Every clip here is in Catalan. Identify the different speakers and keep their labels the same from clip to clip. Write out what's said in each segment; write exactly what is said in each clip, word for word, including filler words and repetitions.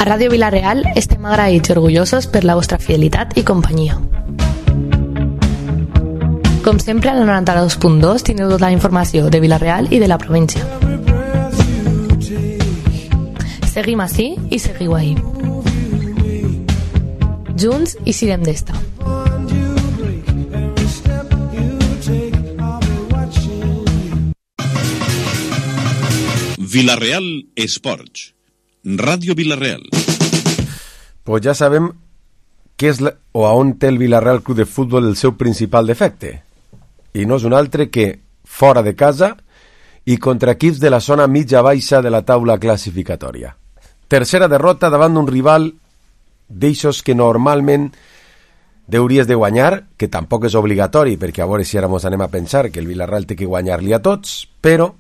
Speaker 1: A Ràdio Vila-real estem agraïts i orgullosos per la vostra fidelitat i companyia. Com sempre, al noranta-dos punt dos teniu tota la informació de Vila-real i de la província. Seguim ací i seguiu ahí. Junts i sirem d'esta.
Speaker 2: Vila-real Esports. Ràdio Vila-real.
Speaker 3: Pues ja sabem què és la, o a on té el Vila-real Club de Futbol el seu principal defecte. I no és un altre que fora de casa i contra equips de la zona mitja-baixa de la taula classificatòria. Tercera derrota davant d'un rival d'eixos que normalment hauries de guanyar, que tampoc és obligatori, perquè a veure si ara mos anem a pensar que el Vila-real té que guanyar-li a tots, però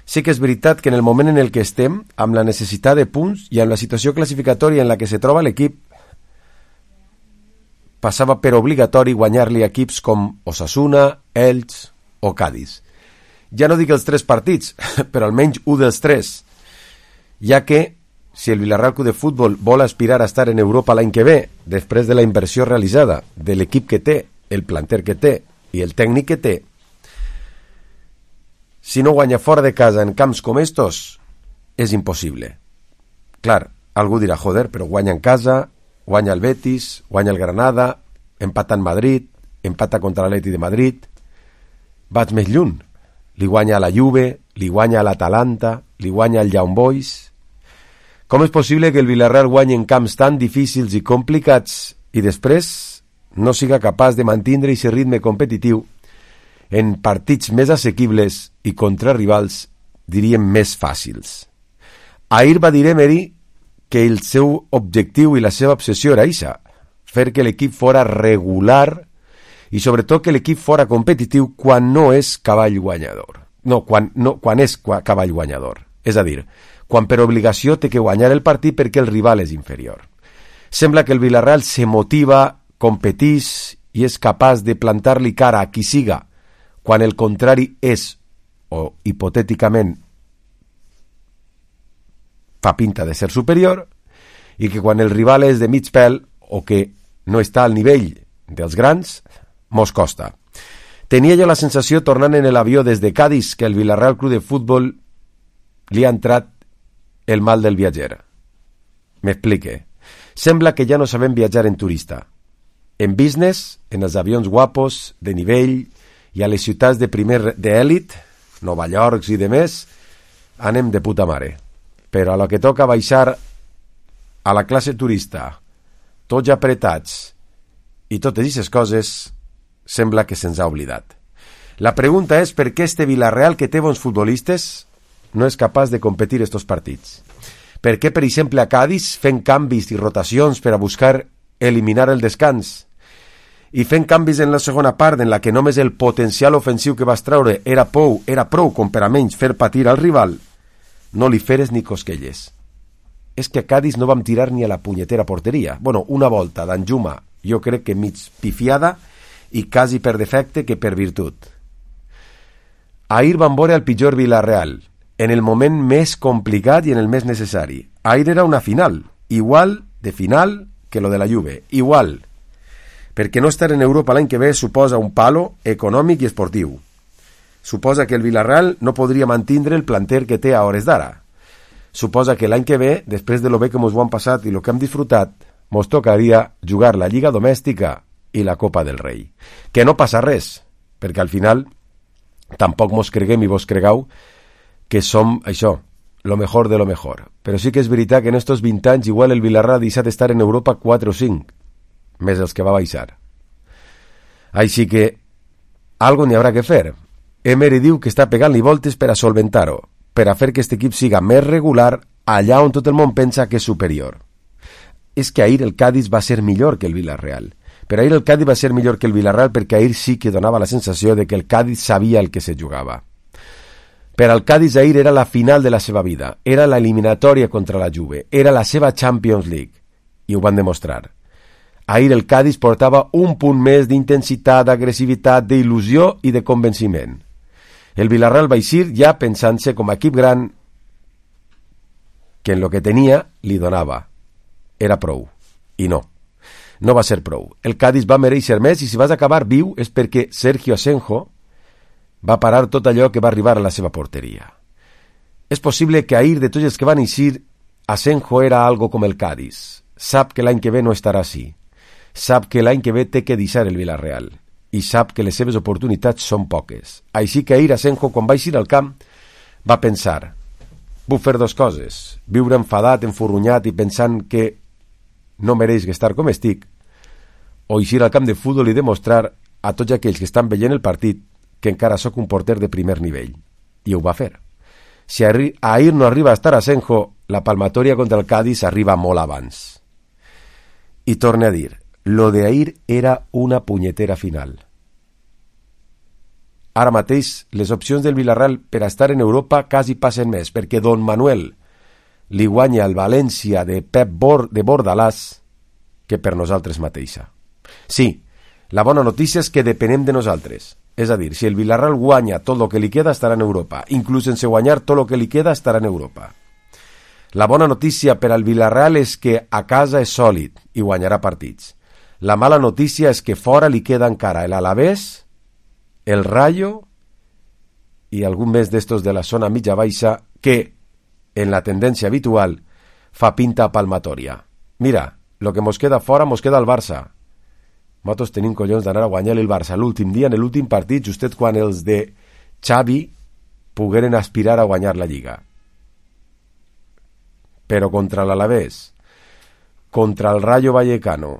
Speaker 3: sí que és veritat que en el moment en el que estem, amb la necessitat de punts i amb la situació classificatòria en la que se troba l'equip, passava per obligatori guanyar-li equips com Osasuna, Elx o Cádiz. Ja no dic els tres partits, però almenys un dels tres, ja que si el Vila-real Club de Futbol vol aspirar a estar en Europa l'any que ve, després de la inversió realitzada, de l'equip que té, el planter que té i el tècnic que té, si no guanya fora de casa en camps com estos, és impossible. Clar, algú dirà, joder, però guanya en casa, guanya el Betis, guanya el Granada, empata en Madrid, empata contra l'Atleti de Madrid, vaig més lluny. Li guanya a la Juve, li guanya a l'Atalanta, li guanya al Young Boys. Com és possible que el Vila-real guanyi en camps tan difícils i complicats i després no siga capaç de mantindre aquest ritme competitiu en partits més assequibles i contra rivals, diríem, més fàcils? Ahir va dir Emery que el seu objectiu i la seva obsessió era això, fer que l'equip fora regular i sobretot que l'equip fora competitiu quan no és cavall guanyador. No, quan, no, quan és cavall guanyador. És a dir, quan per obligació té que guanyar el partit perquè el rival és inferior. Sembla que el Vila-real se motiva, competís i és capaç de plantar-li cara a qui siga quan el contrari és, o hipotèticament fa pinta de ser superior, i que quan el rival és de mig pèl o que no està al nivell dels grans, mos costa. Tenia jo la sensació, tornant en l'avió des de Cádiz, que el Vila-real Club de Futbol li ha entrat el mal del viatger. M'explique. Sembla que ja no sabem viatjar en turista. En business, en els avions guapos, de nivell, i a les ciutats de primer d'èlit, Nova York i demés, anem de puta mare. Però a la que toca baixar a la classe turista, tots apretats i totes aquestes coses, sembla que se'ns ha oblidat. La pregunta és per què este Vila-real, que té bons futbolistes, no és capaç de competir estos partits. Per què, per exemple, a Cádiz fent canvis i rotacions per a buscar eliminar el descans i fent canvis en la segona part en la que només el potencial ofensiu que vas treure era prou, era prou com per a menys fer patir al rival, no li feres ni cosquelles. És que a Cádiz no vam tirar ni a la punyetera porteria. Bueno, una volta d'Anjuma, jo crec que mig pifiada i quasi per defecte que per virtut. Ahir van veure el pitjor Vila-real, en el moment més complicat i en el més necessari. Ahir era una final, igual de final que lo de la Juve, igual, perquè no estar en Europa l'any que ve suposa un palo econòmic i esportiu. Suposa que el Vila-real no podria mantindre el planter que té a hores d'ara. Suposa que l'any que ve, després de lo bé que mos ho han passat i lo que hem disfrutat, mos tocaria jugar la Lliga Domèstica i la Copa del Rei. Que no passa res, perquè al final tampoc mos creguem i vos cregau que som això, lo mejor de lo mejor. Però sí que és veritat que en estos vint anys igual el Vila-real ha deixat d'estar en Europa quatre o cinc, més els que va baixar. Així que algo n'hi haurà que fer. Emery diu que està pegant-li voltes per a solventar-ho, per a fer que aquest equip siga més regular allà on tot el món pensa que és superior. És que ahir el Cádiz va ser millor que el Vila-real. Però ahir el Cádiz va ser millor que el Vila-real perquè ahir sí que donava la sensació de que el Cádiz sabia el que se jugava. Per al Cádiz ahir era la final de la seva vida, era la eliminatòria contra la Juve, era la seva Champions League, i ho van demostrar. Ahir el Cádiz portava un punt més d'intensitat, d'agressivitat, d'il·lusió i de convenciment. El Vila-real va eixir ja pensant-se com a equip gran que en lo que tenia li donava, era prou. I no. No va ser prou. El Cádiz va mereixer més i si vas acabar viu és perquè Sergio Asenjo va parar tot allò que va arribar a la seva porteria. És possible que ahir de tots els que van eixir, Asenjo era algo com el Cádiz. Sap que l'any que ve no estarà així. Sap que l'any que ve té que deixar el Villarreal. I sap que les seves oportunitats són poques. Així que ahir Asenjo, quan va eixir al camp, va pensar: puc fer dues coses, viure enfadat, enfurrunyat i pensant que no mereix estar com estic, o eixir al camp de futbol i demostrar a tots aquells que estan veient el partit que encara sóc un porter de primer nivell. I ho va fer. Si ahir no arriba a estar Asenjo, la palmatòria contra el Cádiz arriba molt abans. I torne a dir, lo de ahir era una punyetera final. Ara mateix, les opcions del Villarreal per a estar en Europa quasi passen més, perquè Don Manuel li guanya el València de Pep Bor de Bordalàs que per nosaltres mateixa. Sí, la bona notícia és que depenem de nosaltres. És a dir, si el Villarreal guanya tot el que li queda, estarà en Europa. Inclús sense guanyar tot el que li queda, estarà en Europa. La bona notícia per al Villarreal és que a casa és sòlid i guanyarà partits. La mala notícia és que fora li queda encara el Alavés, el Rayo i algun més d'estos de la zona mitja baixa que, en la tendència habitual, fa pinta palmatòria. Mira, lo que mos queda fora mos queda el Barça. Nosaltres tenim collons d'anar a guanyar el Barça l'últim dia, en l'últim partit, justet quan els de Xavi pogueren aspirar a guanyar la Lliga. Però contra l'Alavés, contra el Rayo Vallecano,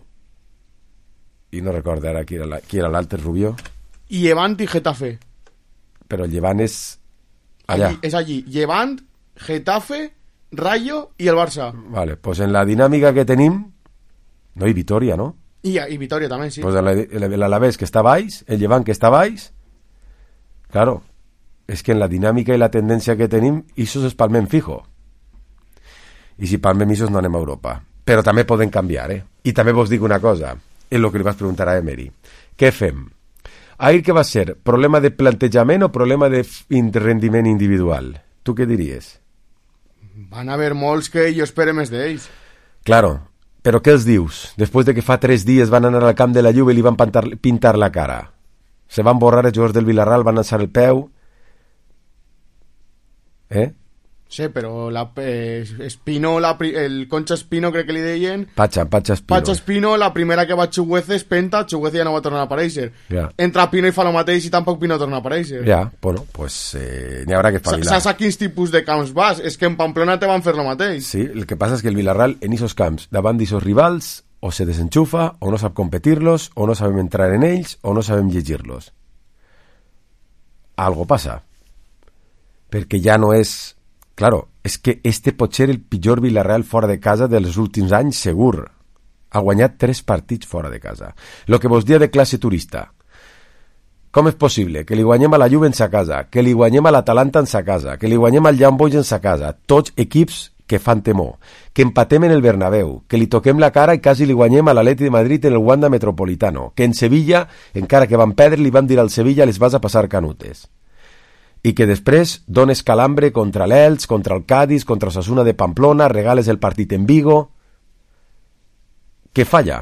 Speaker 3: i no recordo ara qui era, qui era l'altre, Rubió.
Speaker 4: I Levant i Getafe.
Speaker 3: Però el Levant és allà.
Speaker 4: Allí, és allí. Levant, Getafe, Rayo i el Barça.
Speaker 3: Vale, pues en la dinàmica que tenim, no hi Vitoria, no?
Speaker 4: I, i Vitoria també, sí.
Speaker 3: Pues l'Alavés que està baix, el Llevant que està baix, claro, és que en la dinàmica i la tendència que tenim, isos és palmem fijo. I si palmem isos no anem a Europa. Però també poden canviar, eh? I també vos dic una cosa, és el que li vas preguntar a Emery. Què fem? Ahir què va ser? Problema de plantejament o problema de rendiment individual? Tu què diries?
Speaker 4: Van haver molts que jo espero més d'ells.
Speaker 3: Claro, però què els dius? Després de que fa tres dies van anar al camp de la Juve i li van pintar, pintar la cara. Se van borrar els jugadors del Villarreal, van alçar el peu. Eh?
Speaker 4: Sí, però la, eh, Espino, la, el Concha Espino crec que li deien...
Speaker 3: Pacha, Pacha Espino.
Speaker 4: Pacha Espino, la primera que va a Chuguece és Penta, Chuguece ja no va tornar a aparèixer.
Speaker 3: Ja.
Speaker 4: Entra Pino i fa el mateix i tampoc Pino torna a aparèixer.
Speaker 3: Ja, bueno, pues eh, n'hi haurà que espavilar.
Speaker 4: Saps a quins tipus de camps vas? És que en Pamplona te van fer el mateix.
Speaker 3: Sí, el que passa és que el Villarreal en esos camps, davant d'esos rivals, o se desenxufa, o no sap competir-los, o no sabem entrar en ells, o no sabem llegir-los. Algo passa. Perquè ja no és... Claro, és que este pot ser el pitjor Villarreal fora de casa dels últims anys, segur. Ha guanyat tres partits fora de casa. Lo que vos dia de classe turista. Com és possible que li guanyem a la Juve en sa casa, que li guanyem a l'Atalanta en sa casa, que li guanyem al Young Boys en sa casa, tots equips que fan temor, que empatem en el Bernabéu, que li toquem la cara i quasi li guanyem a l'Atleti de Madrid en el Wanda Metropolitano, que en Sevilla, encara que van perdre, li van dir al Sevilla les vas a passar canutes. I que després dones calambre contra l'Elx, contra el Cádiz, contra Osasuna de Pamplona, regales el partit en Vigo... Què falla?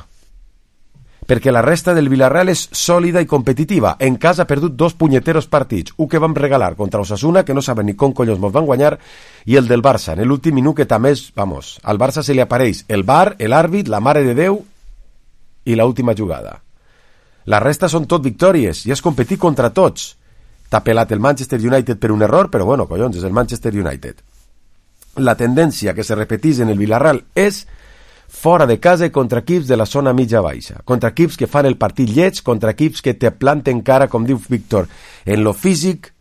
Speaker 3: Perquè la resta del Villarreal és sòlida i competitiva. En casa ha perdut dos punyeteros partits. Un que vam regalar contra Osasuna, que no saben ni com collons mos van guanyar, i el del Barça, en l'últim minut que també és... Vamos, al Barça se li apareix el V A R, l'àrbit, la mare de Déu i l'última jugada. La resta són tot victòries i has competit contra tots. T'ha pelat el Manchester United per un error, però bueno, collons, és el Manchester United. La tendència que se repetís en el Villarreal és fora de casa i contra equips de la zona mitja baixa, contra equips que fan el partit lleig, contra equips que te planten cara, com diu Víctor, en lo físic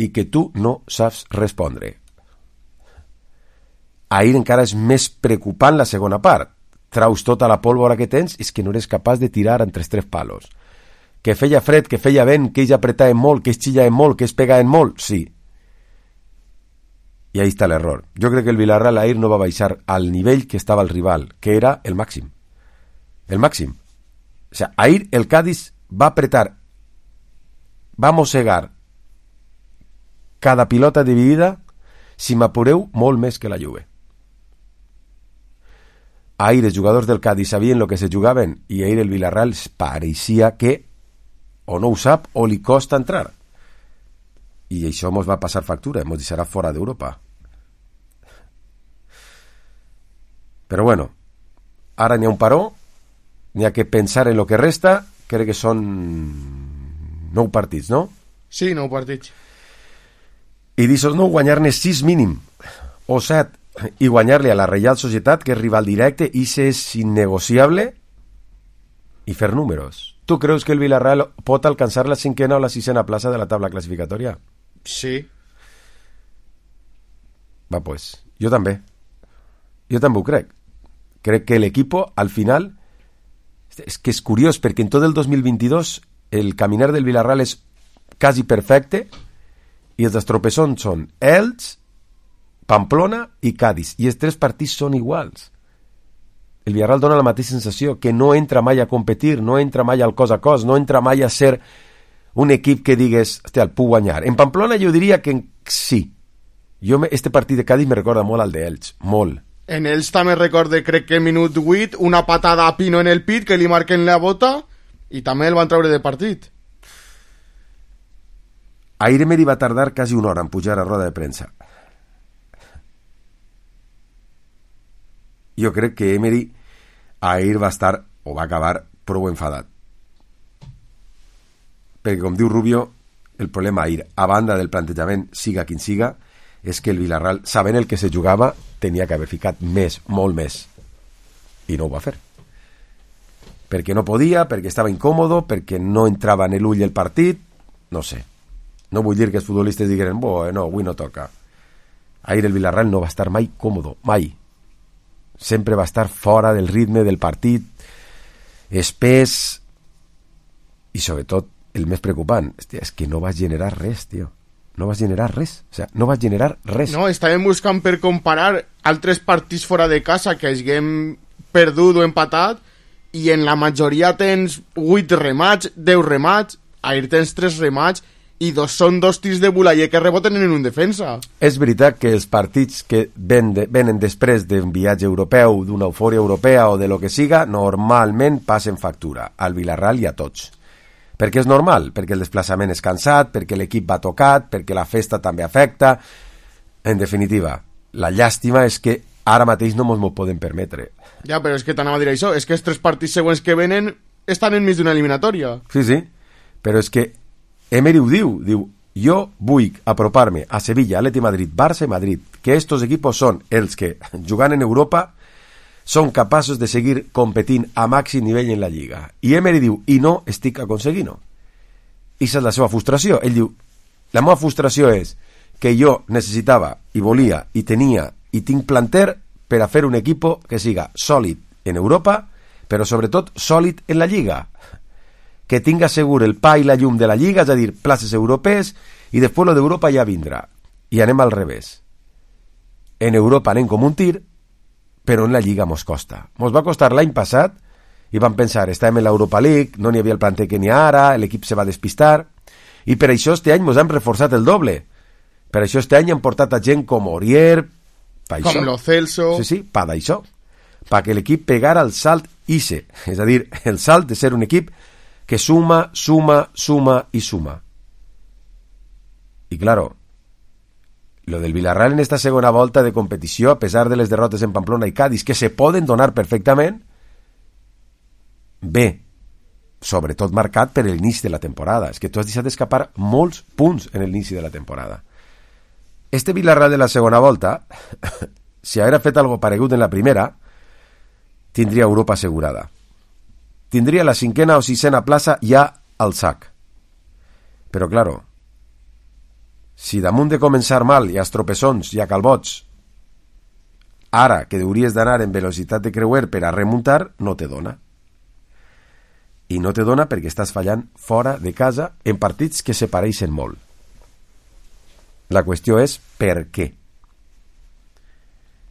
Speaker 3: i que tu no saps respondre. Ahir encara és més preocupant la segona part. Traus tota la pólvora que tens i és que no eres capaç de tirar entre els tres palos. Que feia fred, que feia vent, que ells apretaven molt, que ells xillaven molt, que ells pegaven molt, sí. I ahí està l'error. Jo crec que el Villarreal ahir no va baixar al nivell que estava el rival, que era el màxim. El màxim. O sea, ahir el Cádiz va apretar, va mossegar cada pilota dividida, si m'apureu, molt més que la Juve. ahir els jugadors del Cádiz sabien el que se jugaven i ahir el Villarreal pareixia que o no ho sap o li costa entrar. I això mos va passar factura, mos deixarà fora d'Europa. Però bueno, ara n'hi ha un paró, n'hi ha que pensar en lo que resta, crec que són nou partits, no?
Speaker 4: Sí, nou partits.
Speaker 3: I d'aixòs nou guanyar-ne sis mínim, o set, i guanyar-li a la Reial Societat, que és rival directe, i se és innegociable, i fer números. Tu creus que el Villarreal pot alcançar la cinquena o la sisena plaça de la tabla classificatòria?
Speaker 4: Sí.
Speaker 3: Va, pues, jo també. Jo també ho crec. Crec que l'equip, al final, és que és curiós, perquè en tot el dos mil vint-i-dos el caminar del Villarreal és quasi perfecte i els estropessons són Elx, Pamplona i Cádiz, i els tres partits són iguals. El Villarreal dona la mateixa sensació, que no entra mai a competir, no entra mai al cos a cos, no entra mai a ser un equip que digues, hòstia, el puc guanyar. En Pamplona jo diria que sí. Jo, este partit de Cádiz me recorda molt al d'Elx, molt.
Speaker 4: En ells també recorde, crec que minut vuit, una patada a Pino en el pit que li marquen la bota i també el van treure de partit.
Speaker 3: Ahir Emery va tardar quasi una hora en pujar a roda de premsa. Jo crec que Emery ahir va estar, o va acabar, prou enfadat. Perquè, com diu Rubio, el problema ahir, a banda del plantejament, siga quin siga, és que el Villarreal, sabent el que se jugava, tenia que haver ficat més, molt més. I no ho va fer. Perquè no podia, perquè estava incòmodo, perquè no entrava en l'ull el partit, no sé. No vull dir que els futbolistes digueren, bo, no, avui no toca. Ahir el Villarreal no va estar mai còmodo, mai. Sempre va estar fora del ritme del partit, espès, i sobretot, el més preocupant, hòstia, és que no va generar res, tio. No vas generar res, o sea, no vas generar res.
Speaker 4: No, estàvem buscant per comparar altres partits fora de casa que haguem perdut o empatat, i en la majoria tens vuit remats, deu remats, ahir tens tres remats, i dos són dos tirs de Bulayer que reboten en un defensa.
Speaker 3: És veritat que els partits que ven de, venen després d'un viatge europeu, d'una eufòria europea o de lo que siga, normalment passen factura, al Villarreal i a tots. Perquè és normal, perquè el desplaçament és cansat, perquè l'equip va tocat, perquè la festa també afecta. En definitiva, la llàstima és que ara mateix no ens ho podem permetre.
Speaker 4: Ja, però és que t'anava a dir això, és que els tres partits següents que venen estan enmig d'una eliminatòria.
Speaker 3: Sí, sí, però és que Emery ho diu, diu, jo vull apropar-me a Sevilla, Atleti Madrid, Barça i Madrid, que estos equipos són els que, jugant en Europa, són capaços de seguir competint a màxim nivell en la Lliga. I Emery diu, i no estic aconseguint-ho. I és la seva frustració. Ell diu, la meva frustració és que jo necessitava, i volia, i tenia, i tinc planter per a fer un equip que siga sòlid en Europa, però sobretot sòlid en la Lliga. Que tinga segur el pa i la llum de la Lliga, és a dir, places europees, i després lo d'Europa ja vindrà. I anem al revés. En Europa anem com un tir, però en la Lliga mos costa. Mos va costar l'any passat i vam pensar, estàvem en l'Europa League, no n'hi havia el planter que n'hi ha ara, l'equip se va despistar, i per això este any mos hem reforçat el doble. Per això este any hem portat a gent com Aurier, pa
Speaker 4: com Lo Celso...
Speaker 3: Sí, sí, pa d'això. Pa que l'equip pegara el salt ixe, és a dir, el salt de ser un equip que suma, suma, suma i suma. I claro, lo del Villarreal en esta segona volta de competició, a pesar de les derrotes en Pamplona i Cádiz, que se poden donar perfectament, bé, sobretot marcat per l'inici de la temporada. És que tu has deixat d'escapar molts punts en l'inici de la temporada. Este Villarreal de la segona volta, si haguera fet algo paregut en la primera, tindria Europa assegurada. Tindria la cinquena o sisena plaça ja al sac. Però, claro, si damunt de començar mal i a estropessons i a calbots, ara que hauries d'anar en velocitat de creuer per a remuntar, no te dona. I no te dona perquè estàs fallant fora de casa en partits que se pareixen molt. La qüestió és per què.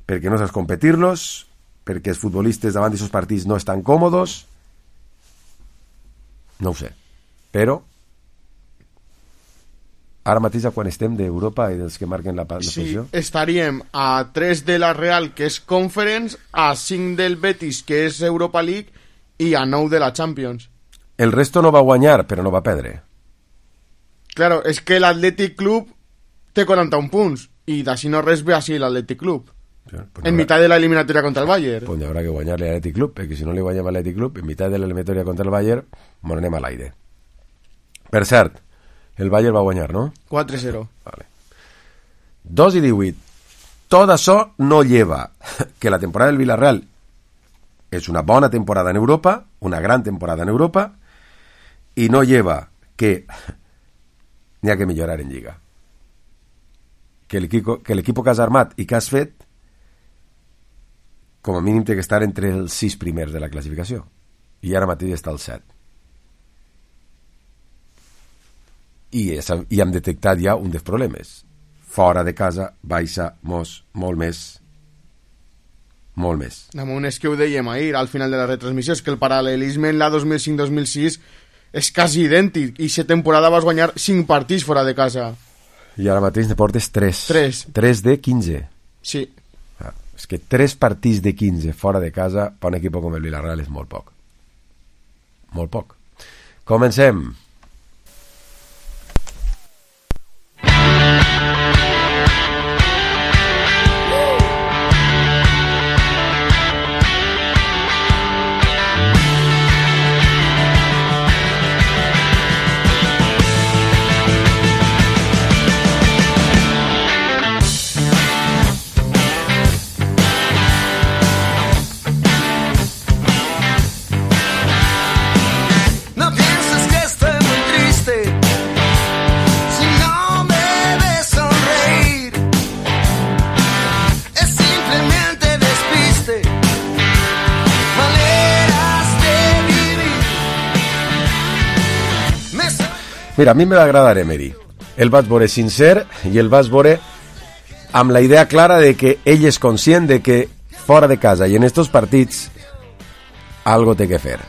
Speaker 3: Perquè no saps competir-los, perquè els futbolistes davant d'aquests partits no estan còmodes, no ho sé. Però ara mateix a quan estem d'Europa i dels que marquen la, la
Speaker 4: Sí,
Speaker 3: posició?
Speaker 4: estaríem a tres de la Real, que és Conference, a cinc del Betis, que és Europa League, i a nou de la Champions.
Speaker 3: El resto no va guanyar, però no va perdre.
Speaker 4: Claro, és que l'Athletic Club té quaranta-un punts, i d'ací no res ve així l'Athletic Club.
Speaker 3: Sí, pues
Speaker 4: En
Speaker 3: habrá,
Speaker 4: mitad de la eliminatoria contra el Bayern.
Speaker 3: pues habrá que guanyar-li a l'Athletic Club, perquè si no li guanyem a l'Athletic Club, en mitad de l'eliminatòria contra el Bayern, bueno, anem a l'aire. Per cert, el Bayern va guanyar, no?
Speaker 4: quatre cero.
Speaker 3: Vale. dos i divuit. Tot això no lleva que la temporada del Villarreal és una bona temporada en Europa, una gran temporada en Europa, i no lleva que n'hi ha que millorar en Lliga. Que l'equipo que l'equipo que has armat i que has fet, com a mínim té que estar entre els sis primers de la classificació. I ara mateix està al set. I, és, i hem detectat ja un dels problemes. Fora de casa baixa mos, molt més. Molt més.
Speaker 4: Damunt és que ho dèiem ahir, al final de la retransmissió, és que el paral·lelisme en la dos mil cinc dos mil sis és quasi idèntic, i aquesta temporada vas guanyar cinc partits fora de casa.
Speaker 3: I ara mateix ne portes tres.
Speaker 4: Tres.
Speaker 3: tres de quinze.
Speaker 4: Sí.
Speaker 3: Ah, és que tres partits de quinze fora de casa per un equip com el Villarreal és molt poc. Molt poc. Comencem. Mira, a mi me va agradar Emery. El vaig veure sincer i el vaig veure amb la idea clara de que ell és conscient de que fora de casa i en estos partits algo té que fer.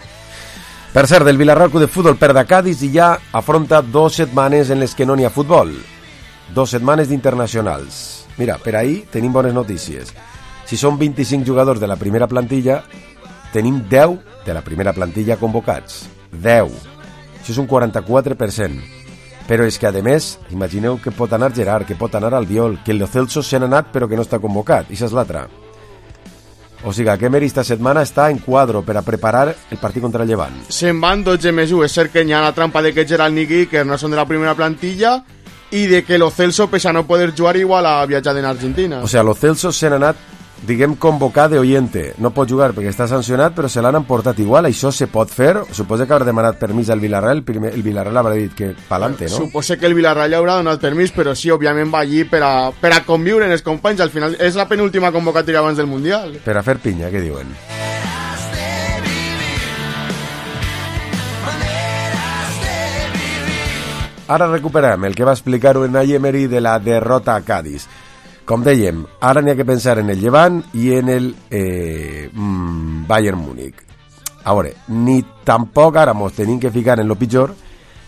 Speaker 3: Per cert, del Villarreal Club de Futbol perd a Cádiz i ja afronta dos setmanes en les que no n'hi ha futbol. Dos setmanes d'internacionals. Mira, per ahir tenim bones notícies. Si són vint-i-cinc jugadors de la primera plantilla, tenim deu de la primera plantilla convocats. deu. Això és un quaranta-quatre per cent. Però és que, a més, imagineu que pot anar Gerard, que pot anar Albiol, que el Lo Celso se n'ha anat però que no està convocat. I això és l'altra. O sigui, que Emery esta setmana està en quadro per a preparar el partit contra el Llevant.
Speaker 4: Se'n van dotze més u. És cert que hi ha la trampa de que Gerard ni Iker no són de la primera plantilla i de que Lo Celso, pese a no poder jugar, igual ha viatjat en Argentina.
Speaker 3: O sigui, Lo Celso se n'ha anat, diguem, convocat de oyente. No pot jugar perquè està sancionat, però se l'han emportat igual. Això se pot fer? Suposa que haurà demanat permís al Villarreal. Primer, el Villarreal haurà dit que pa'lante, no?
Speaker 4: Suposa que el Villarreal ja haurà donat permís, però sí, òbviament va allí per a, per a conviure en els companys. Al final és la penúltima convocatòria abans del Mundial.
Speaker 3: Per a fer pinya, què diuen? Ara recuperem el que va explicar Unai Emery de la derrota a Cádiz. Com dèiem, ara n'hi ha que pensar en el Llevant i en el eh, mm, Bayern Múnich. A veure, ni tampoc ara mos tenim que ficar en lo pitjor,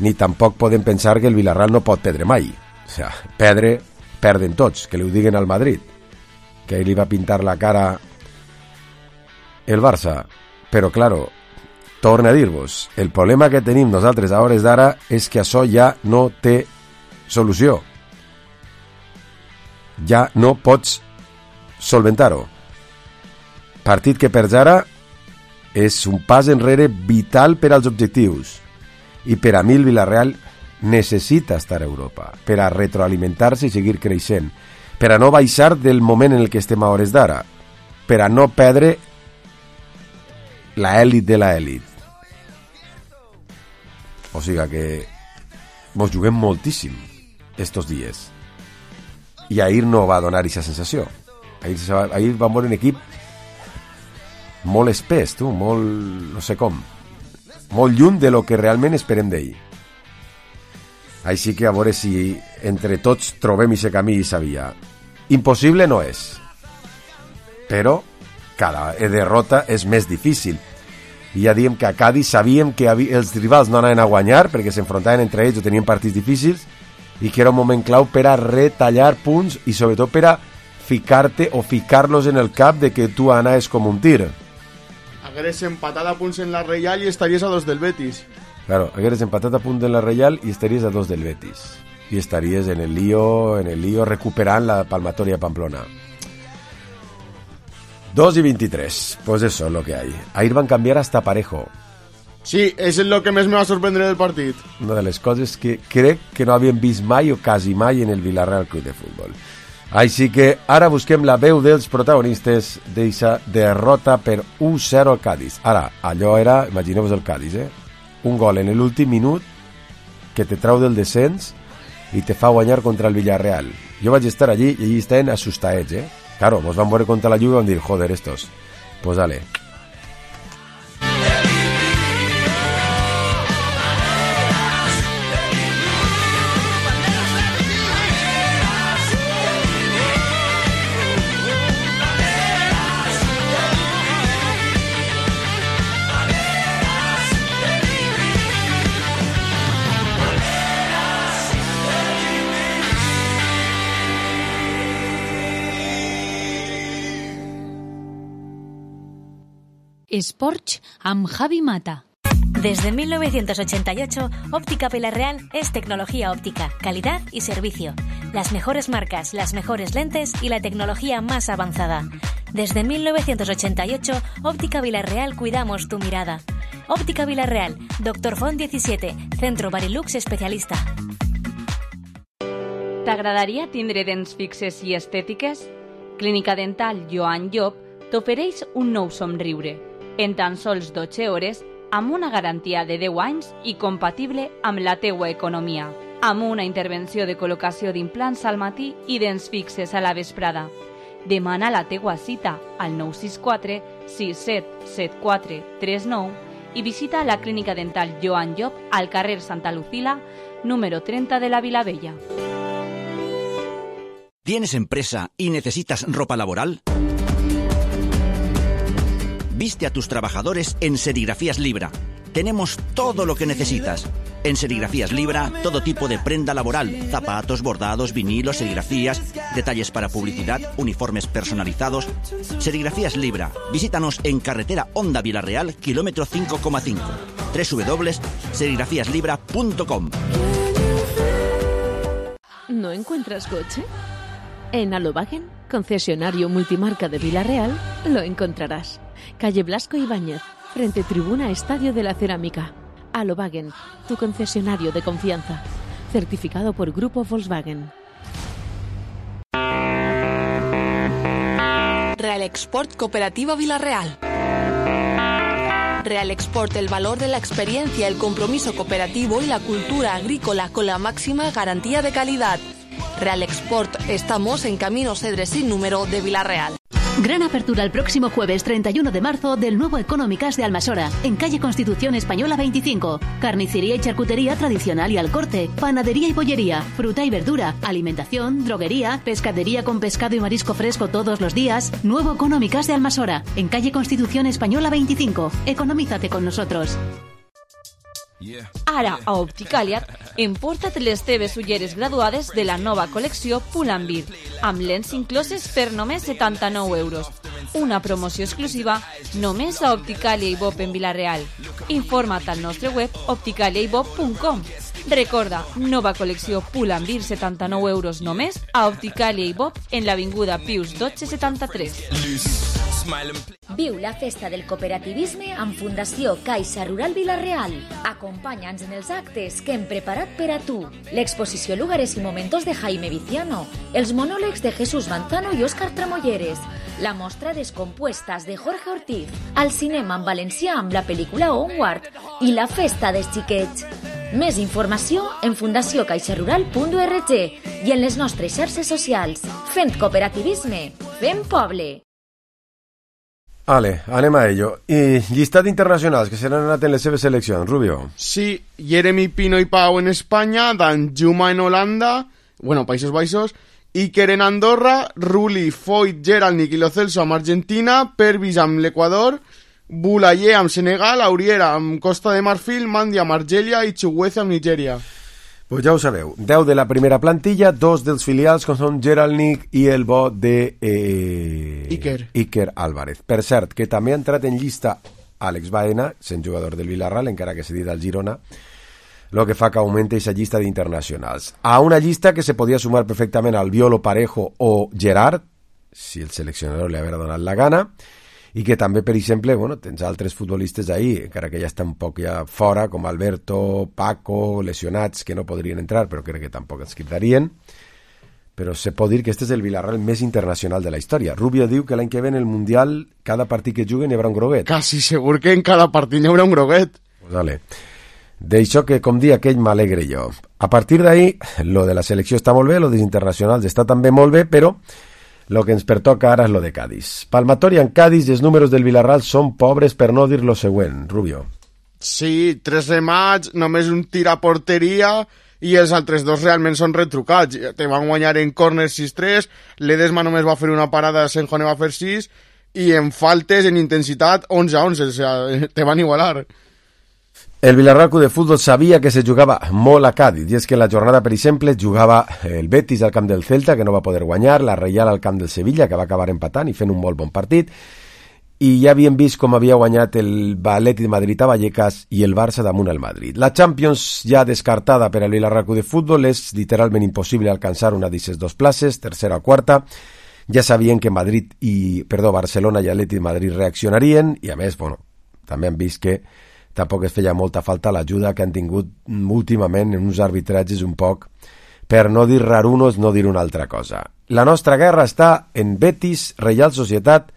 Speaker 3: ni tampoc podem pensar que el Villarreal no pot perdre mai. O sea, perdre, perden tots, que li ho diguen al Madrid, que li va pintar la cara el Barça. Però, claro, torna a dir-vos, el problema que tenim nosaltres a hores d'ara és que això ja no té solució. Ja no pots solventar-ho. Partit que perds ara és un pas enrere vital per als objectius. I per a mi el Villarreal necessita estar a Europa per a retroalimentar-se i seguir creixent, per a no baixar del moment en el que estem a hores d'ara, per a no perdre la èlit de la èlit. O sigui que mos juguem moltíssim estos dies. I ahir no va donar aquesta sensació. Ahir, ahir vam veure un equip molt espès, tu, molt, no sé com, molt lluny de lo que realment esperem d'ell. Així que a veure si entre tots trobem aquest camí i aquesta via. Impossible no és, però cada derrota és més difícil. I ja diem que a Cádiz sabíem que els rivals no anaven a guanyar perquè s'enfrontaven entre ells o tenien partits difícils, i que era un moment clau per a retallar punts i sobretot per a ficar-te o ficar-los en el cap de que tu anaves com un tir.
Speaker 4: Hagueres empatat a punts en la Reial i estaries a dos del Betis.
Speaker 3: Claro, hagueres empatat a punts en la Reial i estaries a dos del Betis. I estaries en el lío, en el lío recuperant la palmatoria de Pamplona. dos y veintitrés, pues eso es lo que hay. Ahí van a cambiar hasta Parejo.
Speaker 4: Sí, eso es lo que més me va sorprendre del partit.
Speaker 3: Una de les coses que crec que no havien vist mai o quasi mai en el Villarreal Club de Futbol. Així que ara busquem la veu dels protagonistes d'eixa derrota per u zero al Cádiz. Ara, allò era, imagineu-vos el Cádiz, eh? Un gol en l'últim minut que te trau del descens i te fa guanyar contra el Villarreal. Jo vaig estar allí i allí estaven assustaets, eh? Claro, mos van veure contra la Juve i van dir, joder, estos, pues dale.
Speaker 5: Sports amb Javi Mata.
Speaker 6: Desde mil novecientos ochenta y ocho, Óptica Villarreal es tecnología óptica, calidad y servicio. Las mejores marcas, las mejores lentes y la tecnología más avanzada. Desde mil novecientos ochenta y ocho, Óptica Villarreal cuidamos tu mirada. Óptica Villarreal, Doctor Font diecisiete, Centro Barilux especialista.
Speaker 7: T'agradaria tindre dents fixes i estètiques? Clínica Dental Joan Llop t'ofereix un nou somriure. En tan sols dotze hores, amb una garantia de deu anys i compatible amb la teua economia. Amb una intervenció de col·locació d'implants al matí i dents fixes a la vesprada. Demana la teua cita al nou sis quatre sis set set quatre tres nou i visita la Clínica Dental Joan Llop al carrer Santa Lucila, número treinta de la Vilavella.
Speaker 8: ¿Tienes empresa y necesitas ropa laboral? Viste a tus trabajadores en Serigrafías Libra. Tenemos todo lo que necesitas. En Serigrafías Libra, todo tipo de prenda laboral, zapatos, bordados, vinilos, serigrafías, detalles para publicidad, uniformes personalizados. Serigrafías Libra. Visítanos en carretera Honda Villarreal, kilómetro cinco coma cinco. doble u doble u doble u punto serigrafías libra punto com.
Speaker 5: ¿No encuentras coche? En Alobagen, concesionario multimarca de Villarreal, lo encontrarás. Calle Blasco Ibáñez, frente Tribuna Estadio de la Cerámica. Alobagen, tu concesionario de confianza. Certificado por Grupo Volkswagen.
Speaker 9: Real Export Cooperativa Villarreal. Real Export, el valor de la experiencia, el compromiso cooperativo y la cultura agrícola con la máxima garantía de calidad. Real Export, estamos en Camino Cedres sin número de Villarreal.
Speaker 10: Gran apertura el próximo jueves treinta y uno de marzo del nuevo Económicas de Almasora, en calle Constitución Española veinticinco. Carnicería y charcutería tradicional y al corte, panadería y bollería, fruta y verdura, alimentación, droguería, pescadería con pescado y marisco fresco todos los días. Nuevo Económicas de Almasora, en calle Constitución Española veinticinco. Economízate con nosotros.
Speaker 7: Ara, a Opticàlia, emporta't les teves ulleres graduades de la nova col·lecció Pull&Bear, amb lents incloses per només setanta-nou euros. Una promoció exclusiva només a Opticàlia i Bob en Vila-real. Informa't al nostre web opticàlia i bob punt com. Recorda, nova col·lecció Pull&Bear, setanta-nou euros només a Opticàlia i Bob en l'avinguda Pius dotze setanta-tres.
Speaker 6: Viu la festa del cooperativisme amb Fundació Caixa Rural Vila-real. Acompanya'ns en els actes que hem preparat per a tu. L'exposició Lugares y Momentos de Jaime Viciano, els monòlegs de Jesús Manzano i Òscar Tramolleres, la mostra Descompuestas de Jorge Ortiz, al cinema en valencià amb la pel·lícula Onward i la festa dels xiquets. Més informació en fundació caixa rural punt org i en les nostres xarxes socials. Fent cooperativisme, fent poble.
Speaker 3: Vale, anem a ello. I llistat internacionals que s'han anat en les seves seleccions, Rubio.
Speaker 4: Sí, Jeremy Pino i Pau en Espanya, Dan Juma en Holanda, bueno, Països Baixos, Iker en Andorra, Rulli, Foyt, Gerald, Niki Lo Celso amb Argentina, Pervis amb l'Equador, Boulaye amb Senegal, Auriera amb Costa de Marfil, Mandi amb Argèlia i Chukwueze amb Nigèria.
Speaker 3: Pues ja ho sabeu, deu de la primera plantilla, dos dels filials com són Gerald Nick i el bo de eh,
Speaker 4: Iker.
Speaker 3: Iker Álvarez. Per cert, que també ha entrat en llista Àlex Baena, sent jugador del Villarreal, encara que cedit al Girona, lo que fa que augmente esa llista d'internacionals. A una llista que se podia sumar perfectament al Violo, Parejo o Gerard, si el seleccionador li haguera donat la gana, i que també, per exemple, bueno, tens altres futbolistes ahí, encara que ja estan un poc ja fora, com Alberto, Paco, lesionats, que no podrien entrar, però crec que tampoc ens quedarien. Però se pot dir que este és el Villarreal més internacional de la història. Rubio diu que l'any que ve en el Mundial, cada partit que juguen hi haurà un groguet.
Speaker 4: Quasi segur que en cada partit hi haurà un groguet.
Speaker 3: Pues dale. D'això que, com dia aquell, m'alegre jo. A partir d'ahí, lo de la selecció està molt bé, lo dels internacionals està també molt bé, però lo que ens pertoca ara és lo de Cádiz. Palmatoria en Cádiz i els números del Villarreal són pobres, per no dir lo següent, Rubio.
Speaker 4: Sí, tres remats, només un tir a porteria i els altres dos realment són retrucats. Te van guanyar en córner sis tres, l'Edesma només va fer una parada, Senjone va fer sis, i en faltes, en intensitat, onze a onze, o sea, te van igualar.
Speaker 3: El Villarreal Club de Fútbol sabia que se jugava molt a Cádiz, i és que la jornada, per exemple, jugava el Betis al camp del Celta, que no va poder guanyar, la Reial al camp del Sevilla, que va acabar empatant i fent un molt bon partit, i ja havien vist com havia guanyat el Atlètic de Madrid a Vallecas i el Barça damunt el Madrid. La Champions, ja descartada per al Villarreal Club de Fútbol, és literalment impossible alcançar una d'aquestes dues places, tercera o quarta. Ja sabien que Madrid i, perdó, Barcelona i Atlètic de Madrid reaccionarien, i a més, bueno, també han vist que tampoc es feia molta falta l'ajuda que han tingut últimament en uns arbitratges un poc, per no dir rarunos, no dir una altra cosa. La nostra guerra està en Betis, Reial Societat,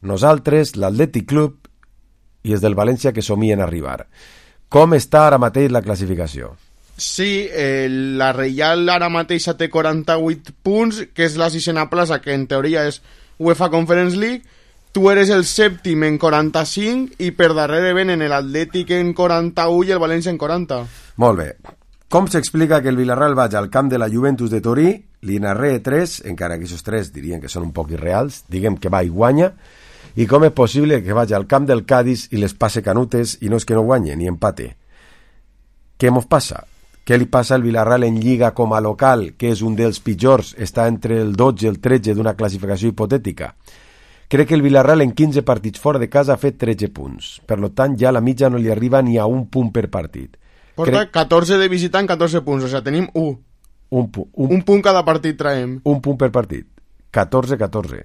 Speaker 3: nosaltres, l'Atlètic Club i els del València que somien arribar. Com està ara mateix la classificació?
Speaker 4: Sí, eh, la Reial ara mateix té quaranta-vuit punts, que és la sisena plaça, que en teoria és UEFA Conference League. Tu eres el sèptim en quaranta-cinc i per darrere venen l'Atlètic en quaranta-u i el València en quaranta.
Speaker 3: Molt bé. Com s'explica que el Villarreal vagi al camp de la Juventus de Torí, li narré tres, encara que aquests tres dirien que són un poc irreals, diguem que va i guanya, i com és possible que vagi al camp del Cádiz i les passe canutes i no és que no guanye ni empate? Què mos passa? Què li passa al Villarreal en Lliga com a local, que és un dels pitjors, està entre el dotze i el tretze d'una classificació hipotètica? Crec que el Villarreal en quinze partits fora de casa ha fet tretze punts. Per tant, ja la mitja no li arriba ni a un punt per partit.
Speaker 4: Porta Crec... catorze de visitant, catorze punts. O sigui, tenim un.
Speaker 3: Un, pu un...
Speaker 4: un punt cada partit traiem.
Speaker 3: Un punt per partit. catorze catorze.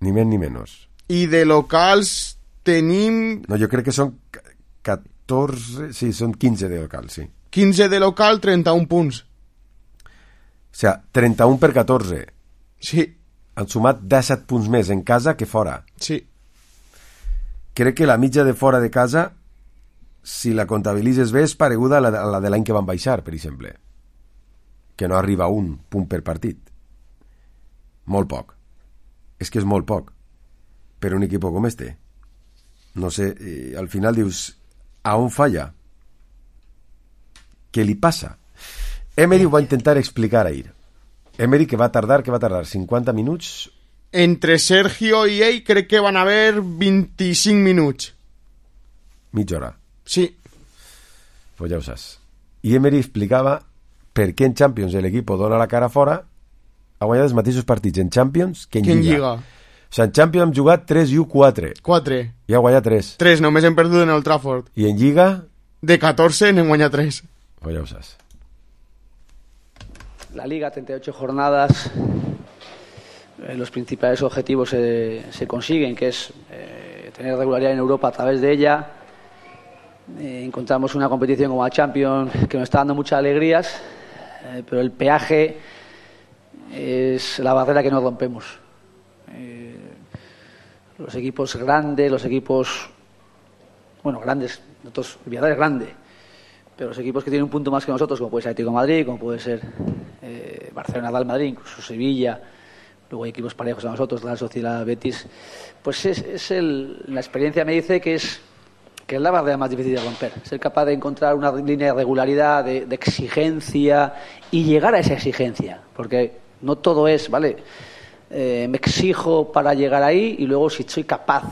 Speaker 3: Ni més ni menys.
Speaker 4: I de locals tenim...
Speaker 3: No, jo crec que són catorze... Sí, són quinze de local, sí.
Speaker 4: quinze de local, trenta-un punts.
Speaker 3: O sigui, trenta-un per catorze.
Speaker 4: Sí.
Speaker 3: Han sumat disset punts més en casa que fora.
Speaker 4: Sí.
Speaker 3: Crec que la mitja de fora de casa, si la comptabilitzes bé, és pareguda a la de, a la de l'any que van baixar, per exemple. Que no arriba a un punt per partit. Molt poc. És que és molt poc. Per un equip com este. No sé, eh, al final dius, a on falla? Què li passa? Emery ho va intentar explicar ahir. Emery, que va tardar, que va tardar cinquanta minuts.
Speaker 4: Entre Sergio i ell crec que van haver vint-i-cinc minuts.
Speaker 3: Mitja hora.
Speaker 4: Sí.
Speaker 3: Pues ja ho saps. I Emery explicava per què en Champions l'equip dona la cara fora, ha guanyat els mateixos partits en Champions que en
Speaker 4: que
Speaker 3: Lliga.
Speaker 4: En Lliga.
Speaker 3: O sigui, en Champions hem jugat tres i u quatre.
Speaker 4: quatre.
Speaker 3: I ha guanyat tres.
Speaker 4: tres, només hem perdut en el Trafford.
Speaker 3: I en Lliga?
Speaker 4: De catorze n'hem guanyat tres.
Speaker 3: Pues ja ho saps.
Speaker 11: La Liga, treinta y ocho jornadas, eh, los principales objetivos se, se consiguen, que es eh, tener regularidad en Europa a través de ella. Eh, encontramos una competición como la Champions que nos está dando muchas alegrías, eh, pero el peaje es la barrera que no rompemos. Eh, los equipos grandes, los equipos, bueno, grandes, nosotros, el Villarreal es grande, pero los equipos que tienen un punto más que nosotros, como puede ser Atlético de Madrid, como puede ser eh, Barcelona, Real Madrid, incluso Sevilla, luego hay equipos parejos a nosotros, la Sociedad, Betis, pues es, es el, la experiencia me dice que es que es la barrera más difícil de romper, ser capaz de encontrar una línea de regularidad, de, de exigencia y llegar a esa exigencia, porque no todo es, ¿vale? Eh, me exijo para llegar ahí y luego si soy capaz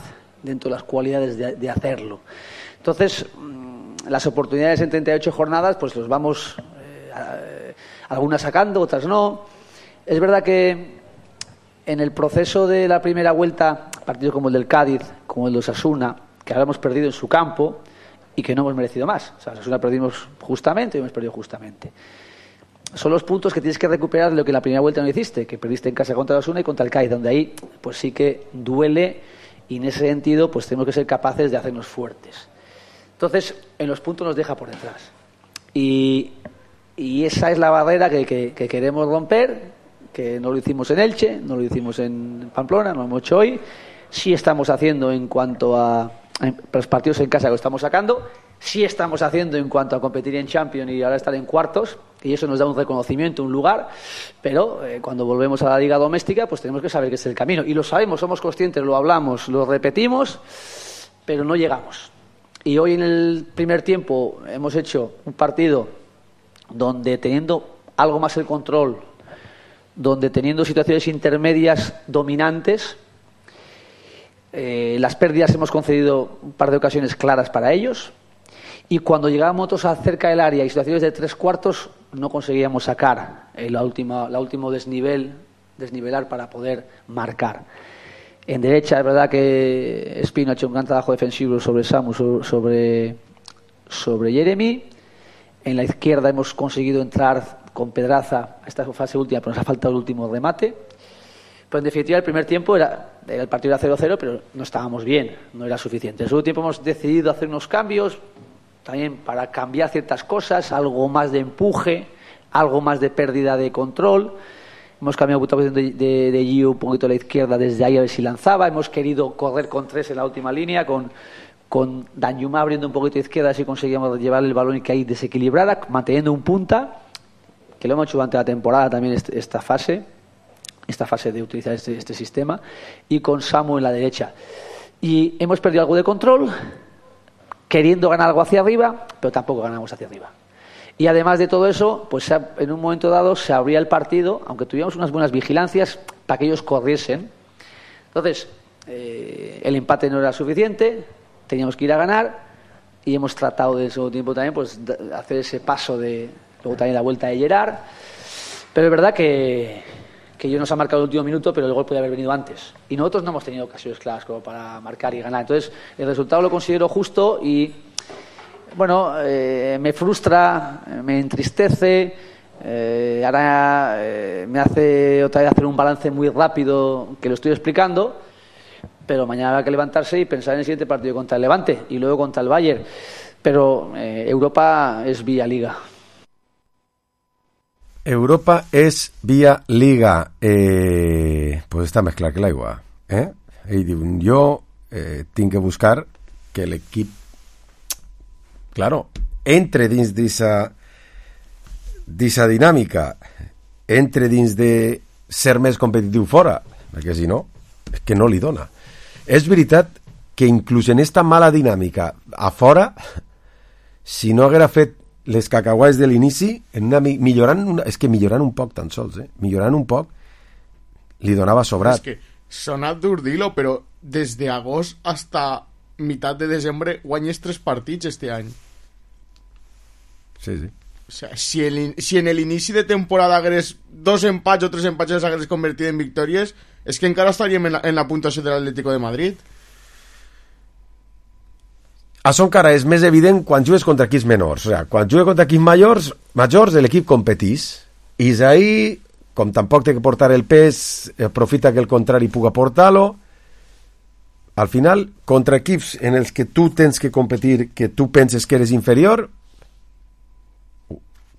Speaker 11: dentro de las cualidades de, de hacerlo. Entonces, las oportunidades en treinta y ocho jornadas pues los vamos eh, algunas sacando, otras no. Es verdad que en el proceso de la primera vuelta, partidos como el del Cádiz, como el de Osasuna, que ahora hemos perdido en su campo y que no hemos merecido más. O sea, Osasuna perdimos justamente y hemos perdido justamente. Son los puntos que tienes que recuperar de lo que en la primera vuelta no hiciste, que perdiste en casa contra Osasuna y contra el Cádiz, donde ahí pues sí que duele, y en ese sentido pues tenemos que ser capaces de hacernos fuertes. Entonces, en los puntos nos deja por detrás. Y, y esa es la barrera que, que, que queremos romper, que no lo hicimos en Elche, no lo hicimos en Pamplona, no lo hemos hecho hoy. Sí estamos haciendo en cuanto a, a los partidos en casa que lo estamos sacando, sí estamos haciendo en cuanto a competir en Champions y ahora estar en cuartos, y eso nos da un reconocimiento, un lugar, pero eh, cuando volvemos a la liga doméstica pues tenemos que saber que es el camino, y lo sabemos, somos conscientes, lo hablamos, lo repetimos, pero no llegamos. Y hoy en el primer tiempo hemos hecho un partido donde, teniendo algo más el control, donde teniendo situaciones intermedias dominantes, eh, las pérdidas hemos concedido un par de ocasiones claras para ellos, y cuando llegábamos nosotros a cerca del área y situaciones de tres cuartos no conseguíamos sacar eh, la última, la último desnivel, desnivelar para poder marcar. En derecha es verdad que Espino ha hecho un gran trabajo defensivo sobre Samu, sobre, sobre Jeremy. En la izquierda hemos conseguido entrar con Pedraza a esta fase última, pero nos ha faltado el último remate. Pero en definitiva el primer tiempo era, era el partido era cero cero, pero no estábamos bien, no era suficiente. En el segundo tiempo hemos decidido hacer unos cambios, también para cambiar ciertas cosas, algo más de empuje, algo más de pérdida de control. Hemos cambiado la posición de, de, de Gio un poquito a la izquierda, desde ahí a ver si lanzaba. Hemos querido correr con tres en la última línea, con, con Danjuma abriendo un poquito a izquierda, así conseguíamos llevar el balón y que ahí desequilibrara, manteniendo un punta, que lo hemos hecho durante la temporada también este, esta fase, esta fase de utilizar este, este sistema, y con Samu en la derecha. Y hemos perdido algo de control, queriendo ganar algo hacia arriba, pero tampoco ganamos hacia arriba. Y además de todo eso, pues en un momento dado se abría el partido, aunque tuviéramos unas buenas vigilancias, para que ellos corriesen. Entonces, eh, el empate no era suficiente, teníamos que ir a ganar, y hemos tratado de ese tiempo también pues de hacer ese paso de, luego también la vuelta de Gerard. Pero es verdad que, que ellos nos han marcado el último minuto, pero el gol podía haber venido antes. Y nosotros no hemos tenido ocasiones claras como para marcar y ganar. Entonces, el resultado lo considero justo y, bueno, eh, me frustra, me entristece. Eh, ahora eh, me hace otra vez hacer un balance muy rápido, que lo estoy explicando, pero mañana habrá que levantarse y pensar en el siguiente partido contra el Levante y luego contra el Bayern. Pero eh, Europa es vía Liga.
Speaker 3: Europa és via Liga. Eh, pues està més clar que l'aigua. Eh? Ell diu, jo eh, tinc que buscar que l'equip, claro, entre dins d'esa d'esa dinàmica, entre dins de ser més competitiu fora, perquè si no, és que no li dona. És veritat que inclús en esta mala dinàmica a fora, si no haguera fet les cacauets de l'inici, en una, millorant una, és que millorant un poc tan sols, eh? millorant un poc, li donava sobrat.
Speaker 4: És que sona dur dir-lo, però des d'agost hasta meitat de desembre guanyes tres partits este any.
Speaker 3: Sí, sí.
Speaker 4: O sea, si, el, si en el inici de temporada hagués dos empats o tres empats els hagués convertit en victòries, és que encara estaríem en la, en la puntuació de l'Atlético de Madrid.
Speaker 3: Això encara és més evident quan jugues contra equips menors. O sigui, quan jugues contra equips majors, majors l'equip competís. I és ahí, com tampoc té que portar el pes, aprofita que el contrari puga portar-lo. Al final, contra equips en els que tu tens que competir, que tu penses que eres inferior,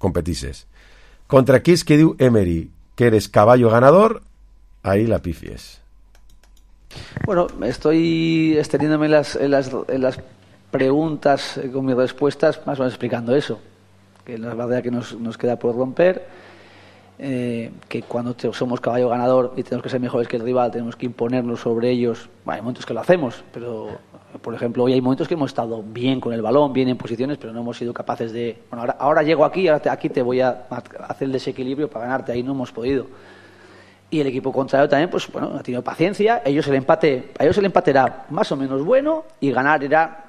Speaker 3: competisses. Contra equips que diu Emery que eres caballo ganador, ahí la pifies.
Speaker 11: Bueno, estoy extendiéndome en las, en las, en las preguntas eh, con mis respuestas, más o menos explicando eso, que la verdad que nos, nos queda por romper, eh, que cuando te, somos caballo ganador y tenemos que ser mejores que el rival, tenemos que imponernos sobre ellos. Bueno, hay momentos que lo hacemos, pero por ejemplo hoy hay momentos que hemos estado bien con el balón, bien en posiciones, pero no hemos sido capaces de, bueno, ahora, ahora llego aquí, ahora te, aquí te voy a hacer el desequilibrio para ganarte, ahí no hemos podido. Y el equipo contrario también, pues bueno, ha tenido paciencia. Ellos el empate, a ellos el empate era más o menos bueno y ganar era